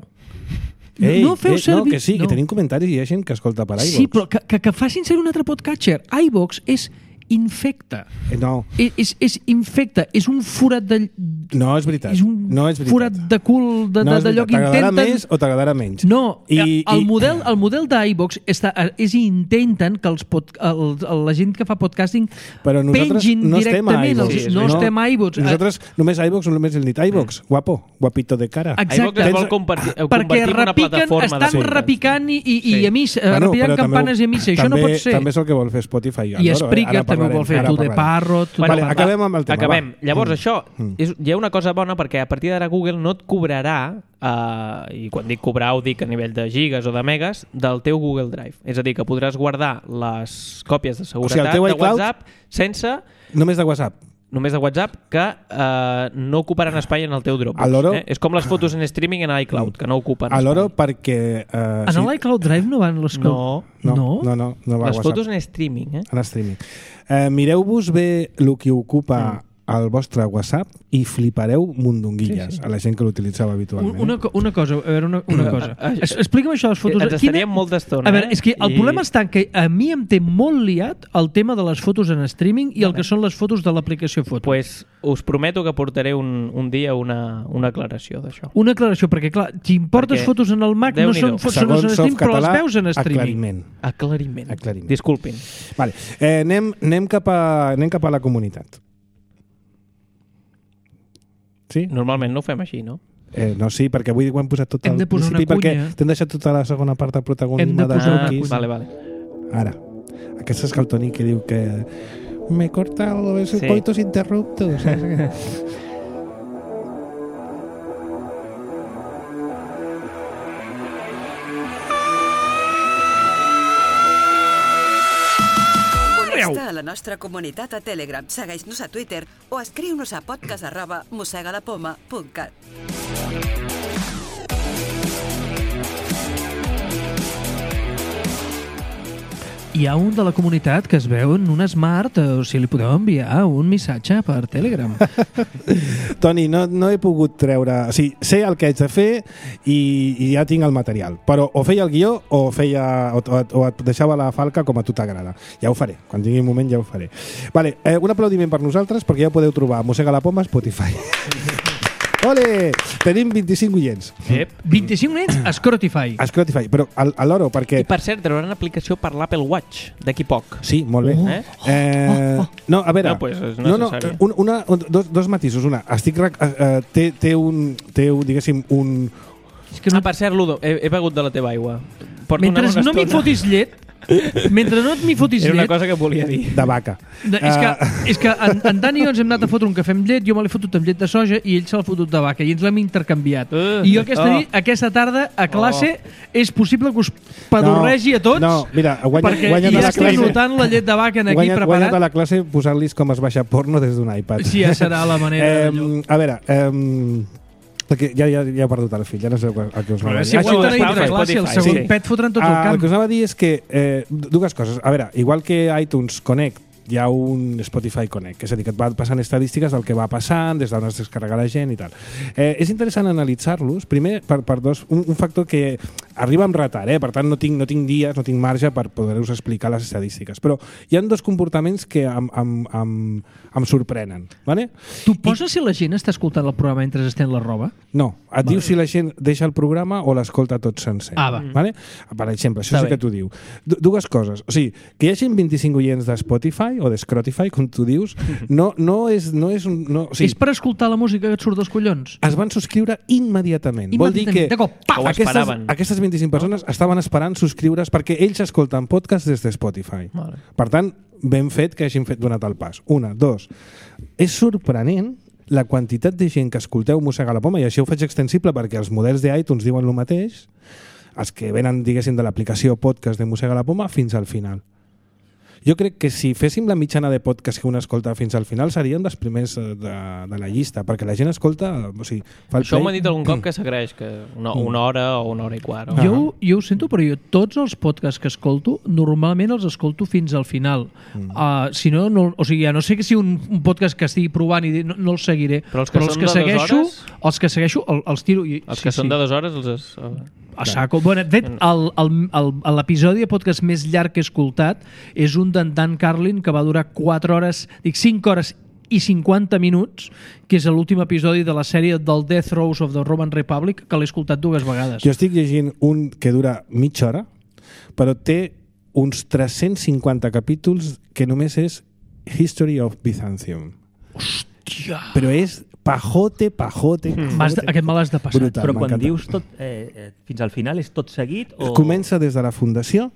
Ei, no feu eh, servir... no, que sí, que tenim comentaris i hi ha gent que escolta per iVox. Sí, però que, que, que facin ser un altre podcatcher. iVox és infecta. Eh, no, És, és, és infecta. És un forat de... no és veritat. És un no és veritat. forat de cul de, no de, és d'allò veritat. que T'agradarà intenten... més o t'agradarà menys. No, I, I, el, i, model, el model d'iVox està, és intenten que els pod, el, la gent que fa podcasting però nosaltres pengin no estem a directament. iVox. Els, Sí, no, és estem a iVox. Nosaltres només iVox, només hem dit iVox. Guapo, guapito de cara. Exacte. iVox es vol Tens- compartir, perquè convertir en una repiquen, plataforma de estan podcast. repicant i, i, Sí. i a missa, Bueno, repicant però també campanes ho- i a missa. Això també, no pot ser. També és el que vol fer Spotify. I al loro, Spreaker eh? Ara també ho vol parlarem, fer. ara Tu de parlarem. Parrot... Vale, Bueno, acabem amb el tema. Acabem. Va. Llavors, Mm. això, Mm. és, hi ha una cosa bona perquè a partir d'ara Google no et cobrarà, eh, i quan dic cobrar ho dic a nivell de gigas o de megas, del teu Google Drive. És a dir, que podràs guardar les còpies de seguretat teu de iCloud- WhatsApp sense... Només de WhatsApp. Només de WhatsApp, que eh, no ocuparan espai en el teu Dropbox. A l'oro- Eh? És com les fotos en streaming en iCloud, que no ocupen A l'oro espai. perquè... Eh, En l'iCloud Drive no van les... No. no, no? no, no, no va a Les WhatsApp. fotos en streaming, eh? En streaming. Eh, mireu-vos bé el que ocupa al vostre WhatsApp i flipareu mundonguilles sí, sí. a la gent que l'utilitzava habitualment. Una, una cosa, a veure, una, una cosa. Es, explica'm això de les fotos. Ens estaríem Quina... molta estona. A veure, eh? és que el I... problema està que a mi em té molt liat el tema de les fotos en streaming i el que són les fotos de l'aplicació Foto. Pues us prometo que portaré un, un dia una, una aclaració d'això. Una aclaració, perquè clar, si importes perquè... fotos en el Mac no són fotos en streaming, però les veus en streaming. Aclariment. Aclariment. Aclariment. Disculpin. Vale. Eh, anem, anem, cap a, anem cap a la comunitat. Sí? Normalment no ho fem així, no? Eh, no, sí, perquè avui ho hem posat tot hem al principi perquè t'hem deixat tota la segona part del protagonisme de Joquis. Vale, vale. Ara, aquest és el Toni que diu que me corta los sí. coitos interruptos. Connecta a la nostra comunitat a Telegram, segueix-nos a Twitter o escriu-nos a podcast arroba mosegadapoma punt cat. Hi ha un de la comunitat que es veu en un smart, o si li podeu enviar un missatge per Telegram. Toni, no, no he pogut treure... O sigui, sé el que haig de fer i, i ja tinc el material. Però o feia el guió o, feia, o, o, o et deixava la falca com a tu t'agrada. Ja ho faré. Quan tingui un moment ja ho faré. Vale, eh, un aplaudiment per nosaltres perquè ja podeu trobar Mossega la Poma a Spotify. Ole! Tenim vint-i-cinc oients. Yep. vint-i-cinc oients a Spotify. A Spotify, però a, a l'oro, perquè... I per cert, trauran aplicació per l'Apple Watch d'aquí poc. Sí, molt bé. Oh. Eh? Eh, no, a veure... No, pues és no, no, un, una, un, dos, dos matisos. Una, estic... Uh, té, té un... Té, diguéssim, un... És que no... Ah, per cert, Ludo, he, he begut de la teva aigua. Porto Mentre no m'hi fotis llet, mentre no m'hi fotis llet... Era una cosa que volia dir. De vaca. De, és, que, uh... és que en, en Dani i jo ens hem anat a fotre un cafè amb llet, jo me l'he fotut amb llet de soja i ell se l'ha fotut de vaca i ens l'hem intercanviat. Uh, I jo aquesta, oh. nit, aquesta tarda a classe oh. és possible que us pedorregi no, a tots no, mira, guanya, perquè guanya ja la estic classe, notant la llet de vaca en aquí guanya, preparat. Guanya de la classe posar-los com es baixa porno des d'un iPad. Sí, ja serà la manera. Eh, a veure... Eh, perquè ja, ja, ja he perdut el fill, ja no sé el que us anava a dir. Si ho tenen entre classe, el segon sí. pet fotran tot el camp. El que us anava a dir és que eh, dues coses. A veure, igual que iTunes Connect, hi ha un Spotify Connect, és a dir, que et va passant estadístiques del que va passant, des d'on es descarrega la gent i tal. Eh, és interessant analitzar-los, primer per, per dos, un, un factor que arriba amb retard, eh? Per tant no tinc, no tinc dies, no tinc marge per poder-vos explicar les estadístiques, però hi ha dos comportaments que em, em, em, em sorprenen. Vale? Tu poses I... si la gent està escoltant el programa mentre estén la roba? No, et vale. diu si la gent deixa el programa o l'escolta tot sencer. Ah, va. Vale? Per exemple, això Està sí bé. que t'ho diu. D dues coses, o sigui, que hi hagi vint-i-cinc oients de Spotify o de Scrotify, com tu dius, no, no és... No és, un, no, o sigui, és per escoltar la música que et surt dels collons? Es van subscriure immediatament. immediatament. Vol dir que de cop, aquestes, aquestes vint-i-cinc persones estaven esperant subscriure's perquè ells escolten podcast des de Spotify. Vale. Per tant, ben fet que hagin fet donat el pas. Una, dos. És sorprenent la quantitat de gent que escolteu Mossega la Poma, i això ho faig extensible perquè els models d'iTunes diuen el mateix, els que venen, diguéssim, de l'aplicació podcast de Mossega la Poma fins al final. Jo crec que si féssim la mitjana de podcast que un escolta fins al final serien dels primers de, de la llista, perquè la gent escolta... O sigui, fa el Això play... m'ha dit algun cop que s'agraeix, que una, una hora o una hora i quart. O... Jo, jo ho sento, però jo tots els podcasts que escolto, normalment els escolto fins al final. Mm. Uh, si no, no, o sigui, ja no sé que si un, un podcast que estigui provant i no, no el seguiré, però els que, però els que segueixo, els que segueixo els, els tiro... I, els que sí, són sí. de dues hores els... Es... A saco. Bueno, de fet, l'episodi de podcast més llarg que he escoltat és un d'en Dan Carlin que va durar quatre hores, dic cinc hores i cinquanta minuts, que és l'últim episodi de la sèrie del Death Rows of the Roman Republic, que l'he escoltat dues vegades. Jo estic llegint un que dura mitja hora, però té uns tres-cents cinquanta capítols que només és History of Byzantium. Hòstia! Però és pajote, pajote, pajote. Mas de, aquest me l'has de passar. Brutal, però quan dius tot, eh, eh, fins al final és tot seguit? O... Comença des de la fundació.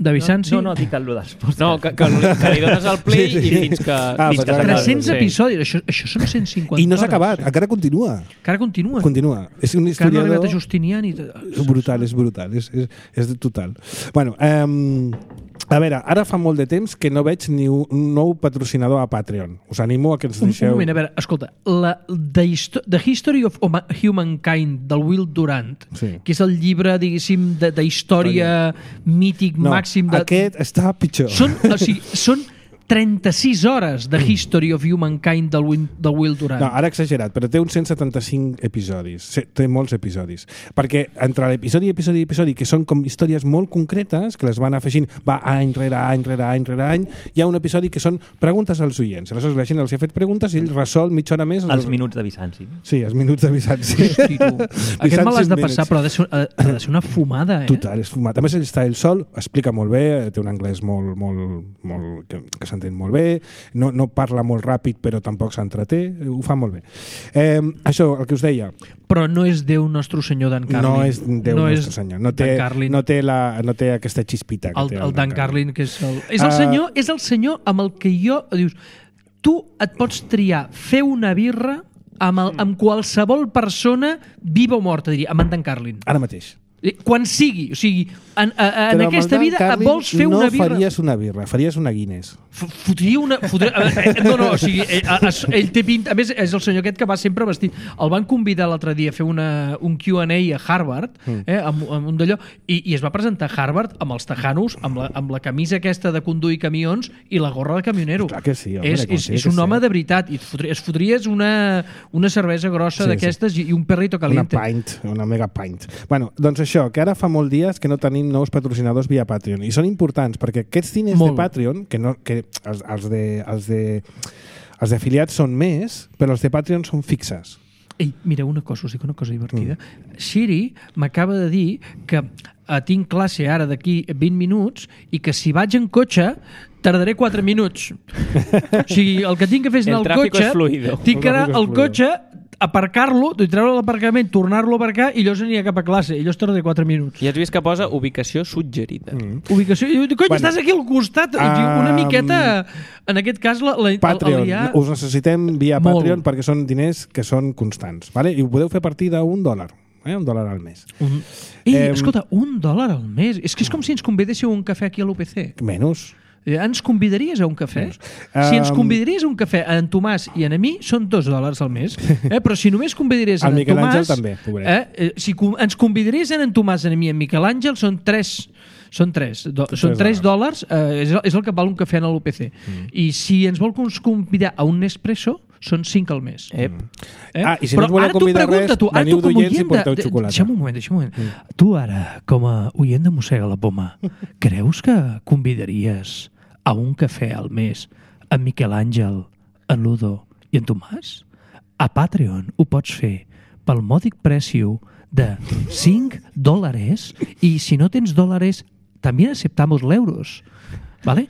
De Bizanci? No, no, no dic el dels podcasts. No, que, que, que li dones el play sí, sí. i fins que, ah, fins que s'acaba. tres-cents episodis, això, això són cent cinquanta I no s'ha hores. acabat, encara continua. Encara continua. Continua. És un Encara no ha historiador... arribat a Justinian i... És brutal, és brutal, és, és, és total. Bueno, um, a veure, ara fa molt de temps que no veig ni un nou patrocinador a Patreon. Us animo a que ens deixeu... Un, un moment, a veure, escolta, la The, Histo The History of Humankind del Will Durant, sí. que és el llibre, diguéssim, de, de història mític no, màxim de... aquest està pitjor. Són, o sigui, són trenta-sis hores de History of Humankind del, Win, del Will Durant. No, ara exagerat, però té uns cent setanta-cinc episodis. Té molts episodis. Perquè entre l'episodi, episodi i episodi, que són com històries molt concretes, que les van afegint, va any rere any, rere any, rere any, hi ha un episodi que són preguntes als oients. Aleshores la gent els ha fet preguntes i ell resol mitja hora més. Els minuts de Bizanci. Sí, els minuts de Bizanci. Hosti, tu. Aquest me l'has de passar, però ha de, ser, ha de ser una fumada, eh? Total, és fumat. A més, ell està ell sol, explica molt bé, té un anglès molt, molt, molt que, que s'entén molt bé, no, no parla molt ràpid però tampoc s'entreté, ho fa molt bé. Eh, això, el que us deia. Però no és Déu Nostre Senyor Dan Carlin. No és Déu no Nostre és Senyor. No té, no, té la, no té aquesta xispita que el, té el, el Dan, Dan Carlin, Carlin, que és el, és el uh, senyor, és el senyor amb el que jo... Dius, tu et pots triar fer una birra amb, el, amb qualsevol persona viva o morta, diria, amb en Dan Carlin. Ara mateix. Quan sigui, o sigui, en, a, en aquesta vida Carlin vols fer no una birra... No faries una birra, faries una Guinness. Fotria una... Fotria, eh, no, no, o sigui, ell, ell té pinta... A més, és el senyor aquest que va sempre vestit. El van convidar l'altre dia a fer una, un Q and A a Harvard, eh, amb, amb un d'allò, i, i es va presentar a Harvard amb els tejanos, amb la, amb la camisa aquesta de conduir camions i la gorra de camionero. Clar que sí, home, és, és, és un home de veritat. I es fotries una, una cervesa grossa sí, d'aquestes sí. i un perrito caliente. Una pint, una mega pint. Bueno, doncs això, que ara fa molts dies que no tenim nous patrocinadors via Patreon. I són importants, perquè aquests diners Molt. de Patreon, que, no, que els, els, de, els, de, els d'afiliats són més, però els de Patreon són fixes. Ei, mira, una cosa, us dic una cosa divertida. Mm. Siri m'acaba de dir que eh, tinc classe ara d'aquí vint minuts i que si vaig en cotxe tardaré quatre minuts. O sigui, el que tinc que fer és anar al cotxe, tinc que anar al cotxe, aparcar-lo, treure l'aparcament, tornar-lo a aparcar i llavors aniria cap a classe. I llavors tardaré quatre minuts. I has vist que posa ubicació suggerida. Mm. Ubicació... Cony, bueno, estàs aquí al costat. Um, una miqueta... En aquest cas, la, la, Patreon. El, el, el, us necessitem via molt. Patreon perquè són diners que són constants. Vale? I ho podeu fer a partir d'un dòlar. Eh? Un dòlar al mes. Un... Ei, eh, escolta, un dòlar al mes. És que és com si ens convidéssiu un cafè aquí a l'U P C. Menys. Ens convidaries a un cafè? Si ens convidaries a un cafè a en Tomàs i a mi, són dos dòlars al mes. Eh? Però si només convidaries a en Miquel Tomàs... Àngel també, eh? Si ens convidaries a en Tomàs, a mi i en Miquel Àngel, són tres... Són tres, do, són tres dòlars, eh, és, és el que val un cafè en l'U P C. Mm. I si ens vol convidar a un Nespresso, són cinc al mes. Eh? Eh? Ah, i si no us voleu convidar res, tu, veniu d'oients i porteu de, xocolata. Deixa'm un moment, deixa'm un moment. Mm. Tu ara, com a oient de Mossega la Poma, creus que convidaries a un cafè al mes en Miquel Àngel, en Ludo i en Tomàs? A Patreon ho pots fer pel mòdic preu de cinc dòlares i si no tens dòlares també acceptamos l'euros. ¿Vale?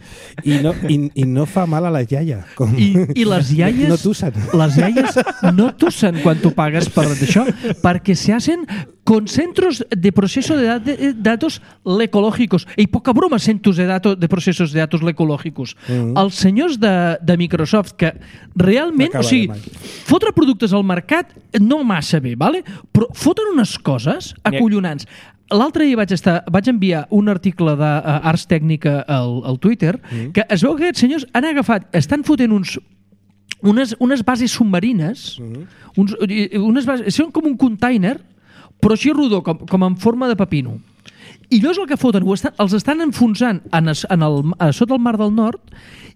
I no, i, i no fa mal a la iaia. Com... I, I les iaies no tussen. Les iaies no tussen quan tu pagues per això, perquè se hacen con centros de proceso de, de datos ecológicos. I poca broma, centros de, datos, de procesos de datos ecológicos. Mm-hmm. Els senyors de, de Microsoft, que realment, o sigui, fotre productes al mercat no massa bé, ¿vale? Però foten unes coses acollonants. L'altre dia vaig, estar, vaig enviar un article d'Ars Tècnica al, al Twitter mm. que es veu que aquests senyors han agafat, estan fotent uns, unes, unes bases submarines, mm. uns, unes bases, són com un container, però així rodó, com, com en forma de pepino. I llavors el que foten, ho estan, els estan enfonsant en, es, en el, a sota el Mar del Nord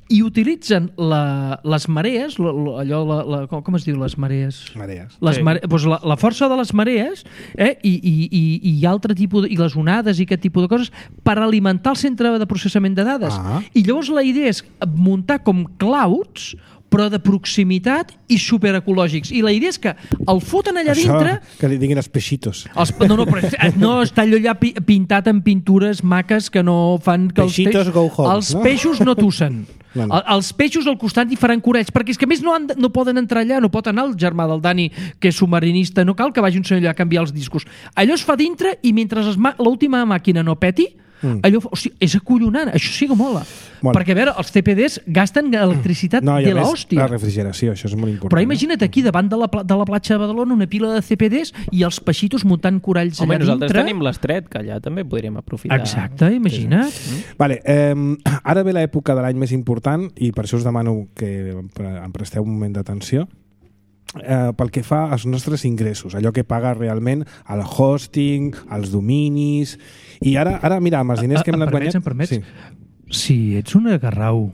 i utilitzen la, les marees, allò, la, la, com, com es diu, les marees? Marees. Les sí. mare, doncs la, la força de les marees eh, i, i, i, i altre tipus, de, i les onades i aquest tipus de coses per alimentar el centre de processament de dades. Ah. I llavors la idea és muntar com clouds però de proximitat i superecològics. I la idea és que el foten allà això, dintre... que li diguin els peixitos. Els, no, no, però no està allò allà pintat amb pintures maques que no fan... Que peixitos els, go home. Els no? peixos no tussen. No, no. Els peixos al costat hi faran corells, perquè és que a més no, han, no poden entrar allà, no pot anar el germà del Dani, que és submarinista, no cal que vagi un senyor allà a canviar els discos. Allò es fa dintre i mentre l'última màquina no peti, Mm. allò, o sigui, és acollonant, això sí que mola. Bueno. Perquè, a veure, els C P Ds gasten electricitat no, de l'hòstia. La refrigeració, això és molt important. Però imagina't aquí, davant de la, de la platja de Badalona, una pila de C P Ds i els peixitos muntant coralls Home, allà dintre. Home, nosaltres tenim l'estret, que allà també podríem aprofitar. Exacte, imagina't. Sí. Vale, eh, ara ve l'època de l'any més important i per això us demano que em presteu un moment d'atenció. Eh, pel que fa als nostres ingressos, allò que paga realment el hosting, els dominis i ara, ara mira, amb els diners que hem anat guanyant... Em permets? Sí. Si ets un agarrau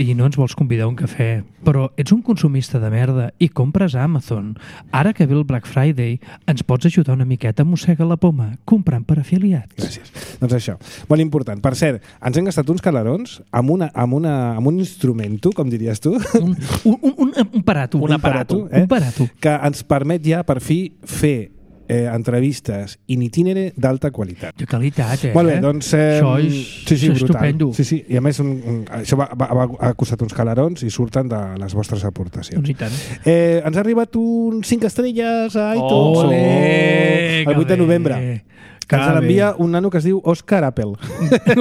i no ens vols convidar a un cafè, però ets un consumista de merda i compres a Amazon. Ara que ve el Black Friday, ens pots ajudar una miqueta a Mossega la Poma comprant per afiliats. Gràcies. Doncs això, molt important. Per cert, ens hem gastat uns calarons amb, una, amb, una, amb un instrumento, com diries tu, Un, un, un, un, un aparato. Un aparato, eh? Un aparato. que ens permet ja, per fi, fer eh, entrevistes in itinere d'alta qualitat. De qualitat, eh? Molt bé, doncs... Eh, Això és, sí, sí, és brutal. estupendo. Sí, sí, i a més un, un, això va, va, va, ha costat uns calarons i surten de les vostres aportacions. Doncs i tant. Eh, ens ha arribat un cinc estrelles a iTunes. Ole, el vuit de que novembre. bé. Que ens Que l'envia bé. un nano que es diu Òscar Apple.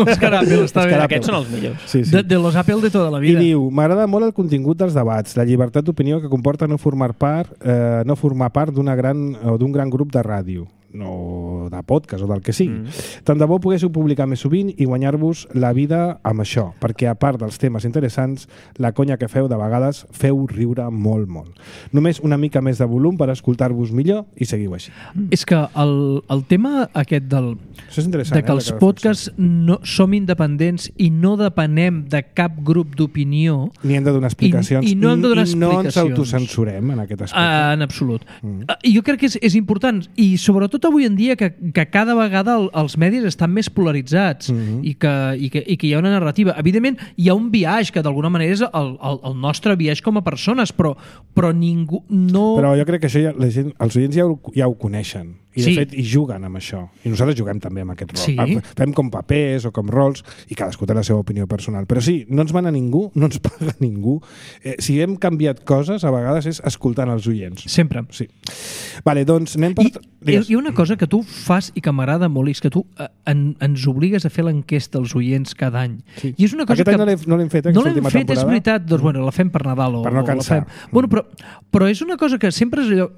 Òscar Apple, està bé. Òscar Apple. Aquests són els millors. Sí, sí. De, de los Apple de tota la I vida. diu, m'agrada molt el contingut dels debats, la llibertat d'opinió que comporta no formar part, eh, no formar part d'una gran o d'un gran grup de ràdio, no de podcast o del que sigui. Mm. Tant de bo poguéssiu publicar més sovint i guanyar-vos la vida amb això, perquè a part dels temes interessants, la conya que feu de vegades feu riure molt, molt. Només una mica més de volum per escoltar-vos millor i seguiu així. És que el, el tema aquest del, Això és interessant. de que eh, els la podcasts no, som independents i no depenem de cap grup d'opinió Ni hem de donar explicacions, I- i no hem de donar i no ens explicacions. autocensurem en aquest aspecte. uh, en absolut. Mm. Uh, jo crec que és, és important i sobretot avui en dia que, que cada vegada el, els medis estan més polaritzats Mhm. i, que, i, que, i que hi ha una narrativa. Evidentment, hi ha un biaix que d'alguna manera és el, el, el nostre biaix com a persones, però, però ningú no... Però jo crec que això ja, la gent, els oients ja ho, ja ho coneixen. I de Sí. fet hi juguen amb això. I nosaltres juguem també amb aquest rol. Sí. Ah, fem com papers o com rols i cadascú té la seva opinió personal. Però sí, no ens mana ningú, no ens paga ningú. Eh, si hem canviat coses, a vegades és escoltant els oients. Sempre. Sí. Vale, doncs anem per... I hi ha- hi ha una cosa que tu fas i que m'agrada molt, i és que tu eh, en, ens obligues a fer l'enquesta als oients cada any. Sí. I és una cosa Aquest que... any no l'hem- no l'hem fet, eh, No aquesta l'hem última fet, és temporada. veritat. Doncs bueno, la fem per Nadal. O, Per no o la cansar. fem. Bueno, però, però és una cosa que sempre és allò...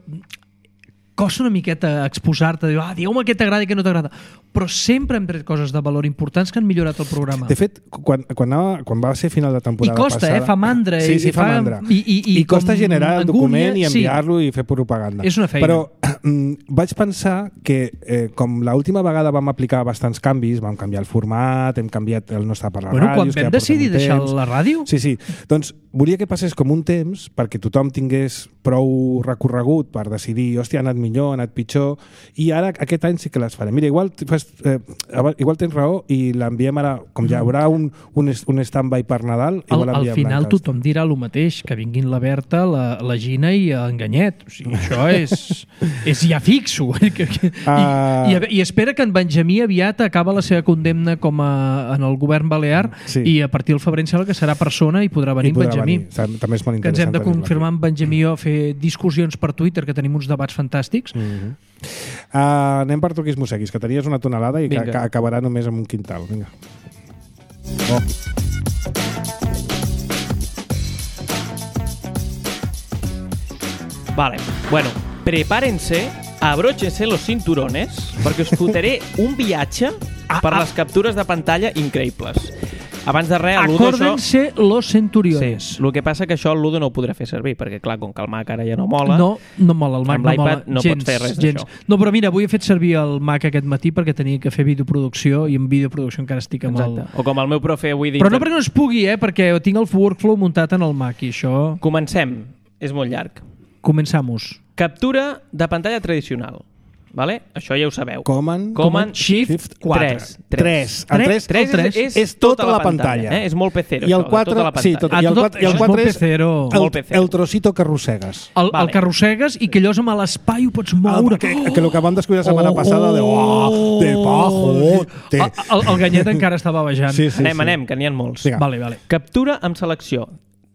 Costa una miqueta exposar-te, dir, ah, digueu-me què t'agrada i què no t'agrada. Però sempre hem tret coses de valor importants que han millorat el programa. De fet, quan, quan, anava, quan va ser final de I temporada costa, passada... eh? Fa mandra. Sí, sí, i fa fa mandra. I, i, i, I costa com generar el angúnia, document i enviar-lo i fer propaganda. És una feina. Però mm, vaig pensar que eh, com l'última vegada vam aplicar bastants canvis, vam canviar el format, hem canviat el nostre per la Bueno, ràdio... quan vam decidir deixar la ràdio... Sí, sí. Doncs volia que passés com un temps perquè tothom tingués prou recorregut per decidir, hòstia, ha anat millor, ha anat pitjor, i ara aquest any sí que les farem. Mira, igual, fas, eh, igual tens raó i l'enviem ara, com ja hi haurà un, un, un stand-by per Nadal, Al, igual al enviem final l'enquesta. tothom dirà el mateix, que vinguin la Berta, la, la Gina i l'Enganyet. O sigui, això és, és ja fixo. Que, que, Ah. I, i, I espera que en Benjamí aviat acaba la seva condemna com a, en el govern balear Sí. i a partir del febrer em sembla que serà persona i podrà venir I en podrà Benjamí. venir. Tam- També és molt Que ens hem interessant. de confirmar amb Benjamí o fer discussions per Twitter, que tenim uns debats fantàstics. Mm -hmm. uh, anem per truquis mosseguis, que tenies una tonelada i que, Vinga. que acabarà només amb un quintal. Vinga. Oh. Vale, bueno, prepárense, abróchense los cinturones, perquè us fotré un viatge per les captures de pantalla increïbles. Abans de res, el Ludo això... Acórdense los centuriones. Sí, el que passa que això el Ludo no ho podrà fer servir, perquè clar, com que el Mac ara ja no mola... No, no mola, el Mac Amb no mola l'iPad no gens, pots fer res gens. d'això. No, però mira, avui he fet servir el Mac aquest matí perquè tenia que fer videoproducció i en videoproducció encara estic amb Exacte. el... O com el meu profe avui... Però no perquè no es pugui, eh? Perquè tinc el workflow muntat en el Mac i això... Comencem, és molt llarg. Començamos. Captura de pantalla tradicional. Vale? Això ja ho sabeu. Command, Command Shift Shift quatre. tres. tres. El tres, tres el tres és, és tota la pantalla. Eh? És molt pecero, I el això, quatre, de tota la sí, pantalla. tot, i el tot- quatre, i el això és quatre molt és pecero. el, Molt pecero. el trocito que arrossegues. El, Vale. el que arrossegues i que allò és amb l'espai ho pots moure. Ah, que, que el que vam descobrir la setmana Oh, passada de, oh, de bajo, de... El, el, el Ganyet encara estava bajant. Sí, sí, Anem, sí. anem, que n'hi ha molts. Vinga. Vale, vale. Captura amb selecció.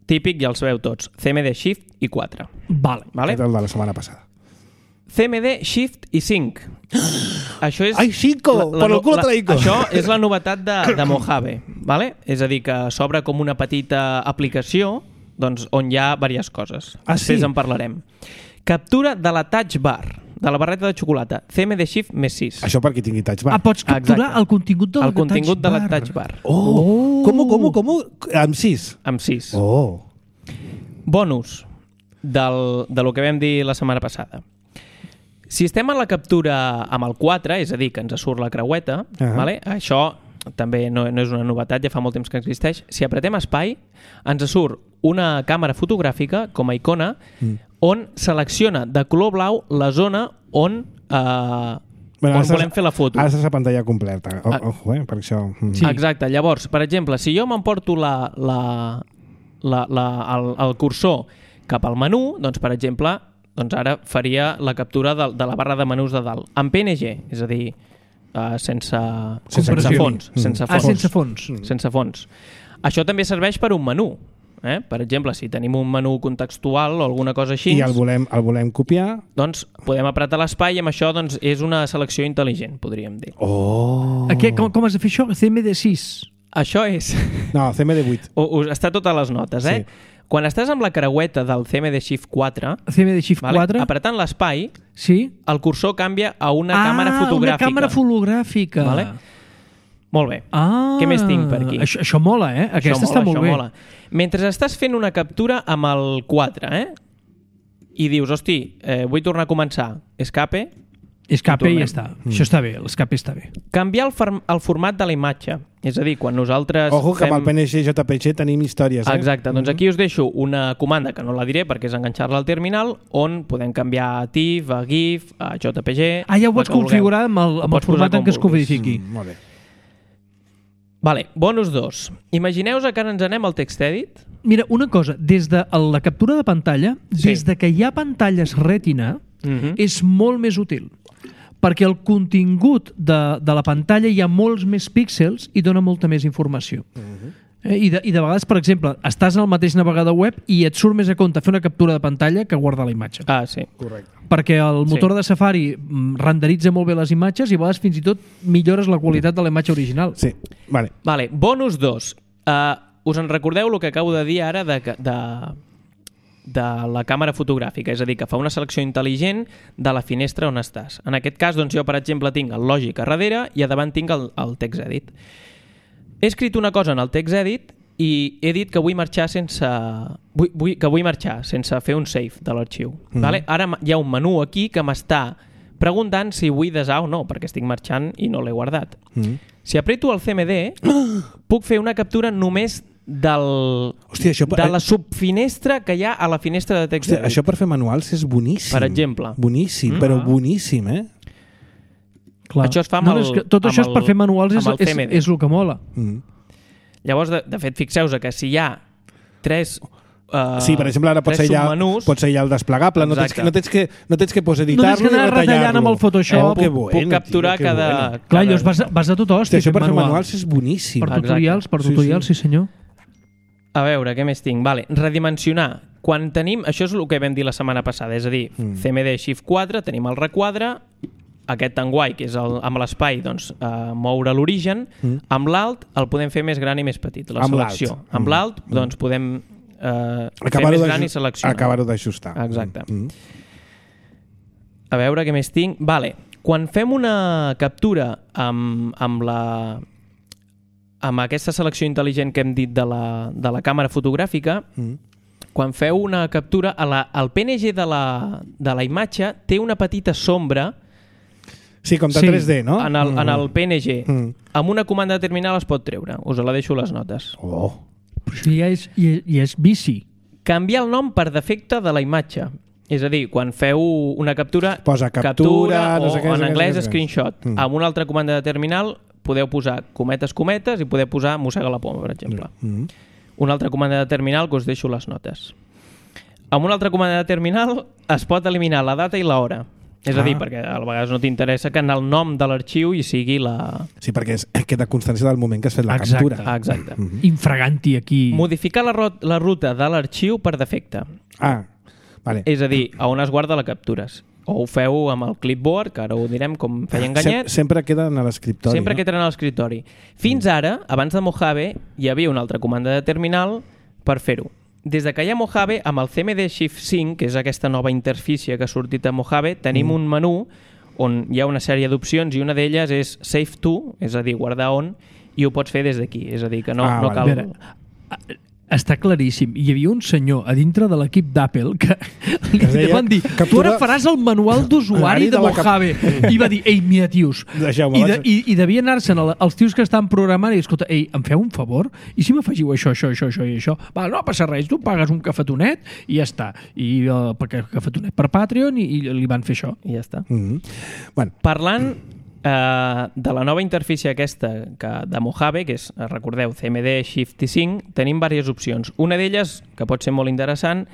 Típic, ja els veu tots. C M D Shift i quatre. Vale. Vale? Aquest és el de la setmana passada. C M D Shift i cinc. Això és... Ai, cinco! Per el culo traico! Això és la novetat de, de Mojave. Vale? És a dir, que s'obre com una petita aplicació doncs, on hi ha diverses coses. Ah, Després sí? en parlarem. Captura de la Touch Bar, de la barreta de xocolata. C M D Shift més sis. Això per qui tingui touch bar. Ah, pots capturar Exacte. el contingut de la El contingut de la Touch Touch Bar. Oh, com, com, com? Amb sis? Amb sis. Oh. Bonus del, de lo que vam dir la setmana passada. Si estem en la captura amb el quatre, és a dir, que ens surt la creueta, Ah. vale? Això també no, no és una novetat, ja fa molt temps que existeix. Si apretem espai, ens surt una càmera fotogràfica com a icona mm. on selecciona de color blau la zona on, eh, bueno, on volem fer la foto. Ara és la pantalla completa. O, ojo, eh, per això... Mm. Sí. Exacte. Llavors, per exemple, si jo m'emporto la, la, la, la, el, el cursor cap al menú, doncs, per exemple, doncs ara faria la captura de, de la barra de menús de dalt. En P N G, és a dir, uh, sense, sense, sense fons. Mm. Sense Ah, fons. sense fons. Mm. Sense fons. Això també serveix per un menú. Eh? Per exemple, si tenim un menú contextual o alguna cosa així, I el volem, el volem copiar, doncs podem apretar l'espai i amb això doncs, és una selecció intel·ligent, podríem dir. oh. Aquí, com, com has de fer això? C M D sis. Això és... No, C M D vuit. O, o, està a totes les notes, eh? Sí. Quan estàs amb la creueta del C M D Shift quatre, C M D Shift vale, quatre. apretant l'espai, Sí. el cursor canvia a una ah, càmera fotogràfica. una càmera fotogràfica. Vale? Molt bé. Ah, Què més tinc per aquí? Això, això mola, eh? Aquesta això està mola, molt això bé. Mola. Mentre estàs fent una captura amb el quatre, eh? I dius, hosti, eh, vull tornar a començar. Escape. Escape i tornem. ja està. Mm. Això està bé, l'escape està bé. Canviar el, form el format de la imatge. És a dir, quan nosaltres Ojo que fem... amb el P N G J P G tenim històries, eh? Exacte, doncs aquí us deixo una comanda que no la diré perquè és enganxar-la al terminal, on podem canviar a TIFF, a GIF, a J P G... Ah, ja ho la pots que configurar vulgueu. amb el, Ho amb el pots posar format en com què es vulguis. codifiqui. Mm, molt bé. Vale, bonus dos. Imagineu-vos que ara ens anem al TextEdit. Mira, una cosa, des de la captura de pantalla, Sí. des de que hi ha pantalles Retina, Mhm. és molt més útil. Perquè el contingut de, de la pantalla hi ha molts més píxels i dona molta més informació. eh? I, de, I de vegades, per exemple, estàs al mateix navegador web i et surt més a compte fer una captura de pantalla que guardar la imatge. Ah, sí. Correcte. Perquè el motor Sí. de Safari mm, renderitza molt bé les imatges i a vegades fins i tot millores la qualitat de la imatge original. Sí, vale. Vale, bonus dos. Uh, us en recordeu el que acabo de dir ara de, de, de la càmera fotogràfica? És a dir, que fa una selecció intel·ligent de la finestra on estàs. En aquest cas, doncs, jo, per exemple, tinc el Logic a darrere i a davant tinc el, el TextEdit. He escrit una cosa en el TextEdit i he dit que vull marxar sense vull, vull, que vull marxar sense fer un save de l'arxiu. Mm. Vale? Ara hi ha un menú aquí que m'està preguntant si vull desar o no, perquè estic marxant i no l'he guardat. Mm. Si apreto el C M D, puc fer una captura només del, Hòstia, això per- de la subfinestra que hi ha a la finestra de text. Hòstia, això per fer manuals és boníssim. Per exemple. Boníssim, Mm. però boníssim, eh? Clar. Això es fa amb no, el- és que tot amb això és per el- fer manuals, és, amb el és, C M D. és el que mola. Mm. Llavors, de, de fet, fixeu-vos que si hi ha tres uh, Sí, per exemple, ara pots tres aïllar, submenús, pots aïllar el desplegable, no tens, Exacte. que, no, tens que, no tens que pues, No editar-lo tens que anar i retallar-lo. retallant amb el Photoshop. Oh, que puc, bueno, puc capturar tio, que cada, bueno. Clar, cada... llavors vas, a- vas a tot Hòstia, hòstia, això per fer manual. manuals és boníssim. Per Exacte. tutorials, per Sí, tutorials, sí, sí senyor. A veure, què més tinc? Vale, redimensionar. Quan tenim... Això és el que vam dir la setmana passada, és a dir, mm. C M D Shift quatre, tenim el requadre, aquest tan guai, que és el, amb l'espai, doncs, eh, moure l'origen, mm. amb l'alt el podem fer més gran i més petit, la Amb selecció. l'alt. Amb Mm. l'alt, doncs, podem eh, fer Acabar-ho més d'aju- gran i seleccionar. Acabar-ho d'ajustar. Exacte. Mm. A veure què més tinc. Vale, quan fem una captura amb, amb la amb aquesta selecció intel·ligent que hem dit de la, de la càmera fotogràfica, Mm. quan feu una captura, a la, el P N G de la, de la imatge té una petita sombra Sí, com de Sí, tres D, no? en, el, en el P N G. Mm. Amb una comanda de terminal es pot treure. Us la deixo a les notes. Oh. Però això ja és, ja, ja és bici. Canviar el nom per defecte de la imatge. És a dir, quan feu una captura, Posa captura, no sé què, o no en sé què, anglès no sé què. screenshot. Mm. Amb una altra comanda de terminal podeu posar cometes, cometes i podeu posar mossega la poma, per exemple. Mm. Una altra comanda de terminal que us deixo les notes. Amb una altra comanda de terminal es pot eliminar la data i l'hora. És a Ah. dir, perquè a vegades no t'interessa que en el nom de l'arxiu hi sigui la... Sí, perquè és, queda constància del moment que has fet la Exacte. captura. Ah, exacte. Mhm. Infraganti aquí. Modificar la, ro- la ruta de l'arxiu per defecte. Ah, vale. És a dir, a on es guarda les captures. O ho feu amb el clipboard, que ara ho direm com feia Sem enganyet. sempre queden a l'escriptori. Sempre no? que tenen a l'escriptori. Fins ara, abans de Mojave, hi havia una altra comanda de terminal per fer-ho. Des de que hi ha Mojave, amb el C M D Shift cinc, que és aquesta nova interfície que ha sortit a Mojave, tenim mm. un menú on hi ha una sèrie d'opcions i una d'elles és Save To, és a dir, guardar on, i ho pots fer des d'aquí. És a dir, que no, Ah, no vale. cal... A veure, està claríssim. Hi havia un senyor a dintre de l'equip d'Apple que li deia, van dir, captura... tu ara faràs el manual d'usuari de, de Mojave. Cap... I va dir, ei, mira, tios. I, de, i, I devia anar-se'n els tios que estan programant i escolta, ei, em feu un favor? I si m'afegiu això, això, això, això i això? Va, no passa res, tu pagues un cafetonet i ja està. I uh, cafetonet per Patreon i, i li van fer això. I ja està. Mm-hmm. Bueno. Parlant Uh, de la nova interfície aquesta que, de Mojave, que és, recordeu, C M D Shift cinc, tenim diverses opcions. Una d'elles, que pot ser molt interessant,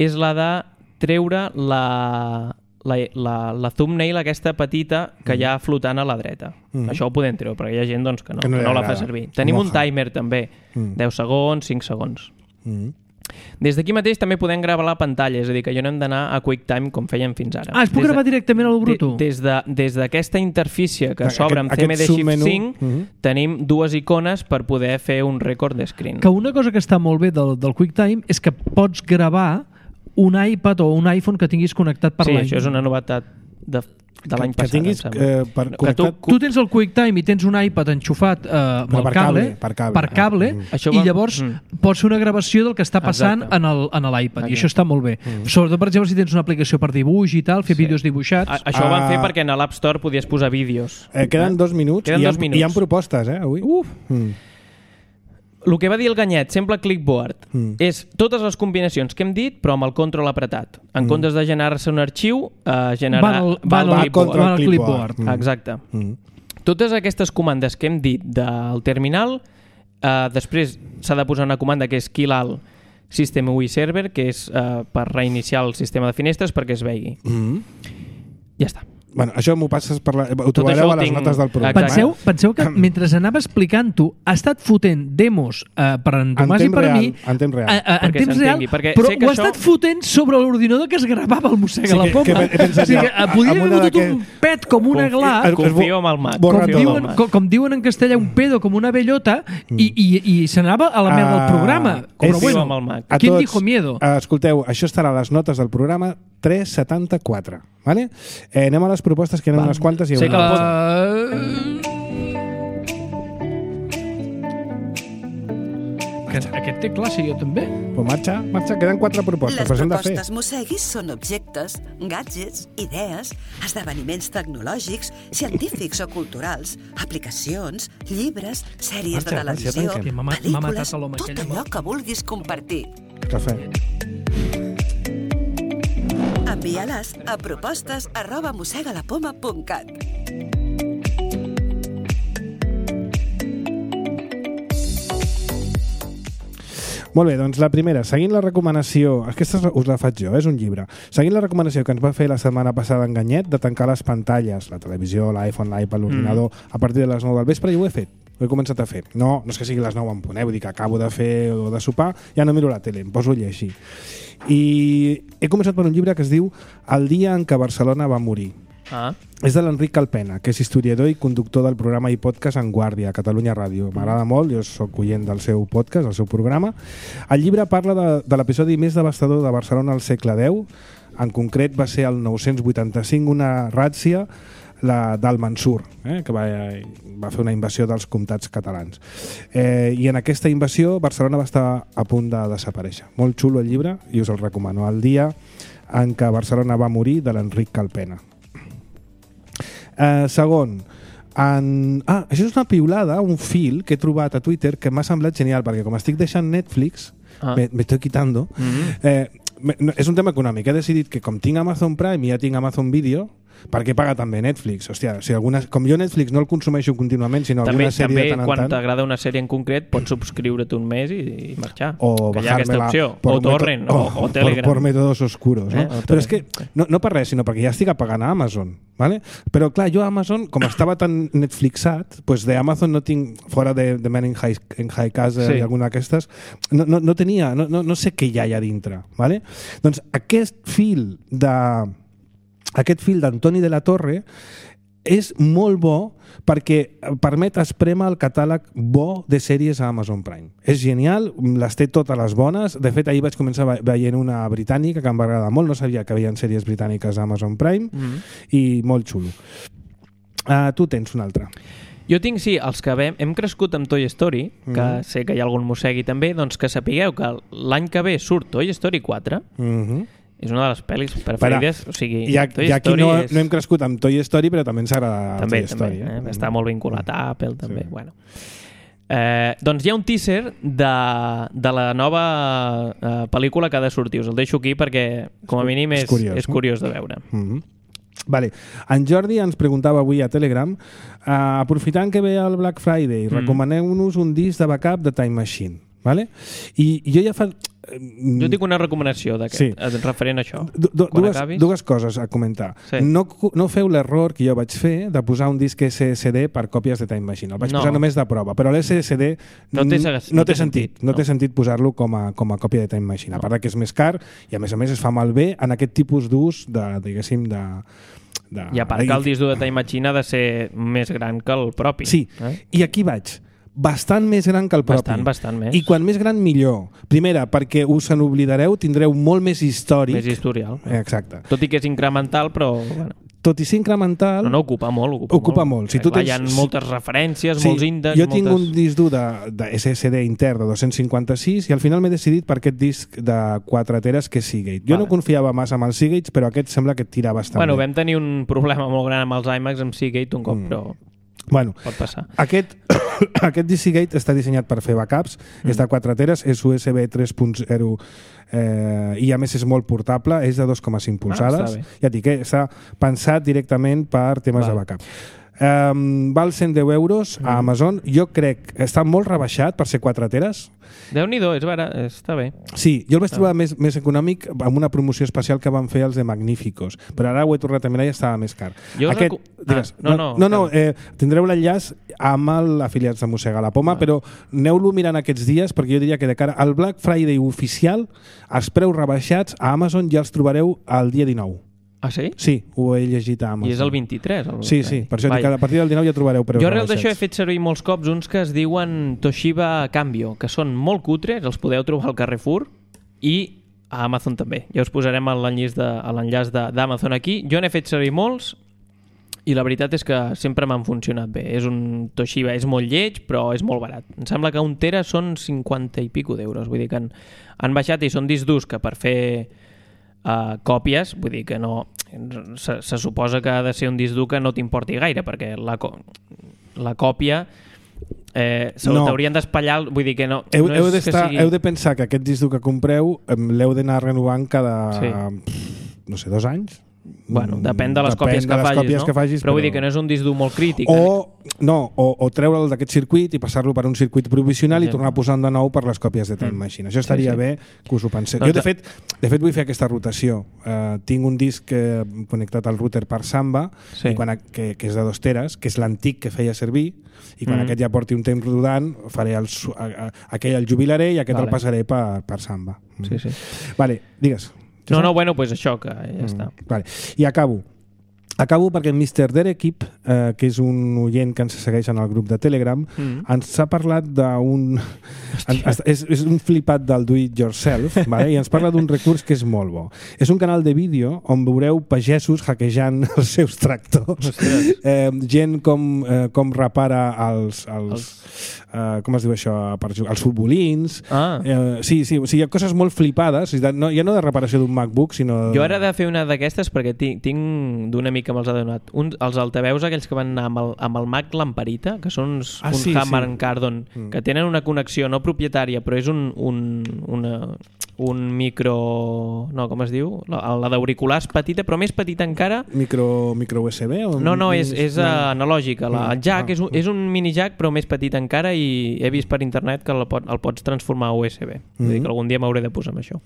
és la de treure la, la, la, la thumbnail aquesta petita que mm. hi ha flotant a la dreta. Mm. Això ho podem treure, perquè hi ha gent doncs, que no, que no, que no la fa servir. Tenim Moja. un timer també, mm. deu segons, cinc segons. Mm. Des d'aquí mateix també podem gravar la pantalla, és a dir, que jo no hem d'anar a QuickTime com fèiem fins ara. Ah, es pot gravar de, directament a lo bruto? De, des de, des d'aquesta interfície que s'obre amb C M D Shift cinc, uh -huh. tenim dues icones per poder fer un record de screen. Que una cosa que està molt bé del, del QuickTime és que pots gravar un iPad o un iPhone que tinguis connectat per sí, l'any. Sí, això és una novetat de, de l'any passat. Que tinguis eh, per que connectat... Tu, tu tens el QuickTime i tens un iPad enxufat eh, amb no, el per cable, cable, per cable, per cable ah, mm. i llavors mm. pots fer una gravació del que està passant en l'iPad, okay. I això està molt bé. Mm. Sobretot, per exemple, si tens una aplicació per dibuix i tal, fer sí. vídeos dibuixats. A, això ho van fer perquè en l'App Store podies posar vídeos. Eh, queden dos minuts, queden i, dos ha, minuts. i hi ha propostes, eh, avui. Uf! Mm. El que va dir el Ganyet, sempre clipboard, mm. és totes les combinacions que hem dit, però amb el control apretat. En mm. comptes de generar-se un arxiu, eh, generar... Van al, van al, clipboard. van al clipboard. Mm. Exacte. Mm. Totes aquestes comandes que hem dit del terminal, eh, després s'ha de posar una comanda que és kill all system U I server, que és eh, per reiniciar el sistema de finestres perquè es vegi. Mm. Ja està. Bueno, això m'ho passes per la... Ho trobareu a les tinc... notes del programa. Penseu, penseu que mentre anava explicant-ho ha estat fotent demos uh, per en Tomàs i per real, mi en temps real, a, a, en temps real però ho ha això... estat fotent sobre l'ordinador que es gravava el Mossega sí, la Poma. Que, que o sigui, que podria haver fotut un pet com una gla. Confio en el Mac. Com diuen, com, com diuen en castellà, un pedo com una bellota mm. i, i, i se n'anava a la merda del programa. Confio bueno, en el Mac. ¿Quién dijo miedo? Uh, escolteu, això estarà a les notes del programa tres setanta-quatre. Vale? Eh, anem a les propostes, que eren unes quantes. I sí, que la... Aquest, aquest té classe, jo també. Pues marxa, marxa, queden quatre propostes. Les propostes Mosseguis són objectes, gadgets, idees, esdeveniments tecnològics, científics o culturals, aplicacions, llibres, sèries marxa, de televisió, marxa, pel·lícules, tot allò que vulguis compartir. Cafè. Envia-les a propostes arroba mossegalapoma punt cat. Molt bé, doncs la primera, seguint la recomanació, aquesta us la faig jo, és un llibre, seguint la recomanació que ens va fer la setmana passada en Ganyet de tancar les pantalles, la televisió, l'iPhone, l'iPad, l'ordinador, mm. a partir de les nou del vespre, i ho he fet. Ho he començat a fer. No, no és que sigui les nou en punt, eh? Vull dir que acabo de fer o de sopar, ja no miro la tele, em poso a llegir. I he començat per un llibre que es diu El dia en què Barcelona va morir. Ah. És de l'Enric Calpena, que és historiador i conductor del programa i podcast En Guàrdia, a Catalunya Ràdio. M'agrada molt, jo soc oient del seu podcast, del seu programa. El llibre parla de, de l'episodi més devastador de Barcelona al segle deu. En concret va ser el nou-cents vuitanta-cinc una ràtzia, la del Mansur, eh, que va, va fer una invasió dels comtats catalans. Eh, I en aquesta invasió Barcelona va estar a punt de desaparèixer. Molt xulo el llibre i us el recomano. El dia en què Barcelona va morir, de l'Enric Calpena. Eh, segon, en... ah, això és una piulada, un fil que he trobat a Twitter que m'ha semblat genial, perquè com estic deixant Netflix, ah. me, me estoy quitando, mm-hmm. eh, me, no, és un tema econòmic. He decidit que com tinc Amazon Prime i ja tinc Amazon Video, perquè paga també Netflix. Hòstia, si alguna, com jo Netflix no el consumeixo contínuament, sinó també, alguna sèrie també, de tant en quan tant... t'agrada una sèrie en concret, pots subscriure't un mes i, i marxar. O que hi ha aquesta opció. O Torrent, o, o Telegram. Por, por métodos oscuros. No? Eh? Però és que, no, no per res, sinó perquè ja estic pagant a Amazon. ¿Vale? Però clar, jo a Amazon, com estava tan Netflixat, pues de Amazon no tinc, fora de, de Men in High, in High Casa sí. i alguna d'aquestes, no, no, no tenia, no, no, no sé què hi ha allà dintre. ¿Vale? Doncs aquest fil de... Aquest fil d'Antoni de la Torre és molt bo perquè permet esprémer el catàleg bo de sèries a Amazon Prime. És genial, les té totes les bones. De fet, ahir vaig començar veient una britànica que em va agradar molt. No sabia que hi havia sèries britàniques a Amazon Prime mm-hmm. i molt xulo. Uh, tu tens una altra. Jo tinc, sí, els que hem, hem crescut amb Toy Story, que mm. sé que hi ha algun mossegui també, doncs que sapigueu que l'any que ve surt Toy Story quatre, Mm-hmm. és una de les pel·lis preferides. O sigui, I, Toy i aquí Story no, és... no hem crescut amb Toy Story, però també ens agrada també, Toy també, Story. eh? Eh? Està molt vinculat a Apple, també. Sí. Bueno. Eh, doncs hi ha un teaser de, de la nova eh, pel·lícula que ha de sortir. Us el deixo aquí perquè, com a mínim, és, és curiós, és curiós de veure. Mm-hmm. Vale. En Jordi ens preguntava avui a Telegram, uh, aprofitant que ve el Black Friday, mm. recomaneu-nos un disc de backup de Time Machine. Vale? I, i jo ja fa... Jo tinc una recomanació d'aquest, sí. referent a això. Du, du, dues, dues coses a comentar. Sí. No, no feu l'error que jo vaig fer de posar un disc S S D per còpies de Time Machine. El vaig no. posar només de prova, però l'S S D no té, no, no té sentit. No, no té sentit posar-lo com a, com a còpia de Time Machine. No. A part que és més car i a més a més es fa malbé en aquest tipus d'ús de, diguéssim, de... de I a part que el disc dur de Time Machine ha de ser més gran que el propi. Sí, eh? I aquí vaig. Bastant més gran que el propi. Bastant, bastant més. I quan més gran, millor. Primera, perquè us en oblidareu, tindreu molt més històric. Més historial. Exacte. Tot i que és incremental, però... Bueno. Tot i ser incremental... No, no, ocupa molt. Ocupa, ocupa molt. molt. Si tu Clar, tens... Hi ha moltes referències, sí, molts índexs... Jo moltes... tinc un disc dur de, de S S D intern de dos-cents cinquanta-sis i al final m'he decidit per aquest disc de quatre teres que és Seagate. Jo vale. no confiava massa en els Seagates, però aquest sembla que et tira bastant bueno, bé. Vam tenir un problema molt gran amb els iMacs amb Seagate un cop, mm. però... Bueno, pot passar. Aquest, aquest D C Gate està dissenyat per fer backups, mm. és de quatre teres, és U S B tres punt zero eh, i a més és molt portable, és de dos coma cinc polzades. Ah, ja et dic, eh, està pensat directament per temes vale. de backup. Um, val cent deu euros a Amazon. Jo crec que està molt rebaixat per ser quatre teres. Déu-n'hi-do, és barat, està bé. Sí, jo el vaig trobar més, més econòmic amb una promoció especial que van fer els de Magníficos, però ara ho he tornat a mirar i estava més car. Jo Aquest, recu... digues, ah, no, no, no, no, eh, tindreu l'enllaç amb l'afiliats de Mossega la Poma, ah. però aneu-lo mirant aquests dies perquè jo diria que de cara al Black Friday oficial els preus rebaixats a Amazon ja els trobareu el dia dinou. Ah, sí? Sí, ho he llegit a Amazon. I és el vint-i-tres? El... Sí, sí, per això dic que a partir del dinou ja trobareu preus jo arrel rebaixats. d'això he fet servir molts cops uns que es diuen Toshiba Cambio, que són molt cutres, els podeu trobar al Carrefour i a Amazon també. Ja us posarem l'enllaç d'Amazon aquí. Jo n'he fet servir molts i la veritat és que sempre m'han funcionat bé. És un Toshiba, és molt lleig, però és molt barat. Em sembla que un tera són cinquanta i pico d'euros. Vull dir que han, han baixat i són discs durs que per fer Uh, còpies, vull dir que no se, se suposa que ha de ser un disc dur que no t'importi gaire, perquè la, la còpia eh, se no. t'haurien d'espatllar, vull dir que no, heu, no heu, és que sigui... heu de pensar que aquest disc dur que compreu l'heu d'anar renovant cada sí. no sé, dos anys. Bueno, depèn de les depèn còpies, de que, les facis, còpies no? que facis, però, però vull dir que no és un disc dur molt crític. O, no, o, o treure'l d'aquest circuit i passar-lo per un circuit provisional i tornar a posar de nou per les còpies de Time mm. Machine. Això estaria sí, sí. bé que us ho penseu. Doncs jo, de fet, de fet, vull fer aquesta rotació. Uh, tinc un disc eh, connectat al router per Samba, sí. i quan, que, que és de dos teres, que és l'antic que feia servir, i quan mm. aquest ja porti un temps rodant, faré el, a, a, aquell el jubilaré i aquest vale. el passaré per, per Samba. Mm. Sí, sí. Vale, digues. No, no, bueno, pues això, que ja mm. està. Vale. I acabo. Acabo perquè el mister Derekip, eh, que és un oient que ens segueix en el grup de Telegram, mm. ens ha parlat d'un... és, és un flipat del do it yourself, vale? I ens parla d'un recurs que és molt bo. És un canal de vídeo on veureu pagesos hackejant els seus tractors. Eh, gent com, eh, com repara els... els, els... Eh, com es diu això? Per, els futbolins. Ah. Eh, sí, sí, o sigui, hi ha coses molt flipades, no, ja no de reparació d'un MacBook, sinó... Jo ara he de fer una d'aquestes perquè tinc, tinc d'un amic que me'ls ha donat. Un, els altaveus aquells que van anar amb el, amb el Mac Lamparita, que són uns, ah, un sí, Hammer sí. Cardon, mm. que tenen una connexió no propietària, però és un, un, una, un micro... No, com es diu? La, la d'auriculars petita, però més petita encara. Micro, micro U S B? O no, no, és, és no. analògica. La, el jack ah, és, un, és un mini jack, però més petit encara, i he vist per internet que el, pot, el pots transformar a U S B. Mm. Vull dir que algun dia m'hauré de posar amb això.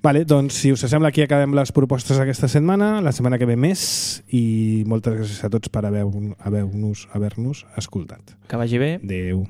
Vale, doncs si us sembla, aquí acabem les propostes aquesta setmana, la setmana que ve més, i moltes gràcies a tots per haver-nos haver haver escoltat. Que vagi bé. Adéu.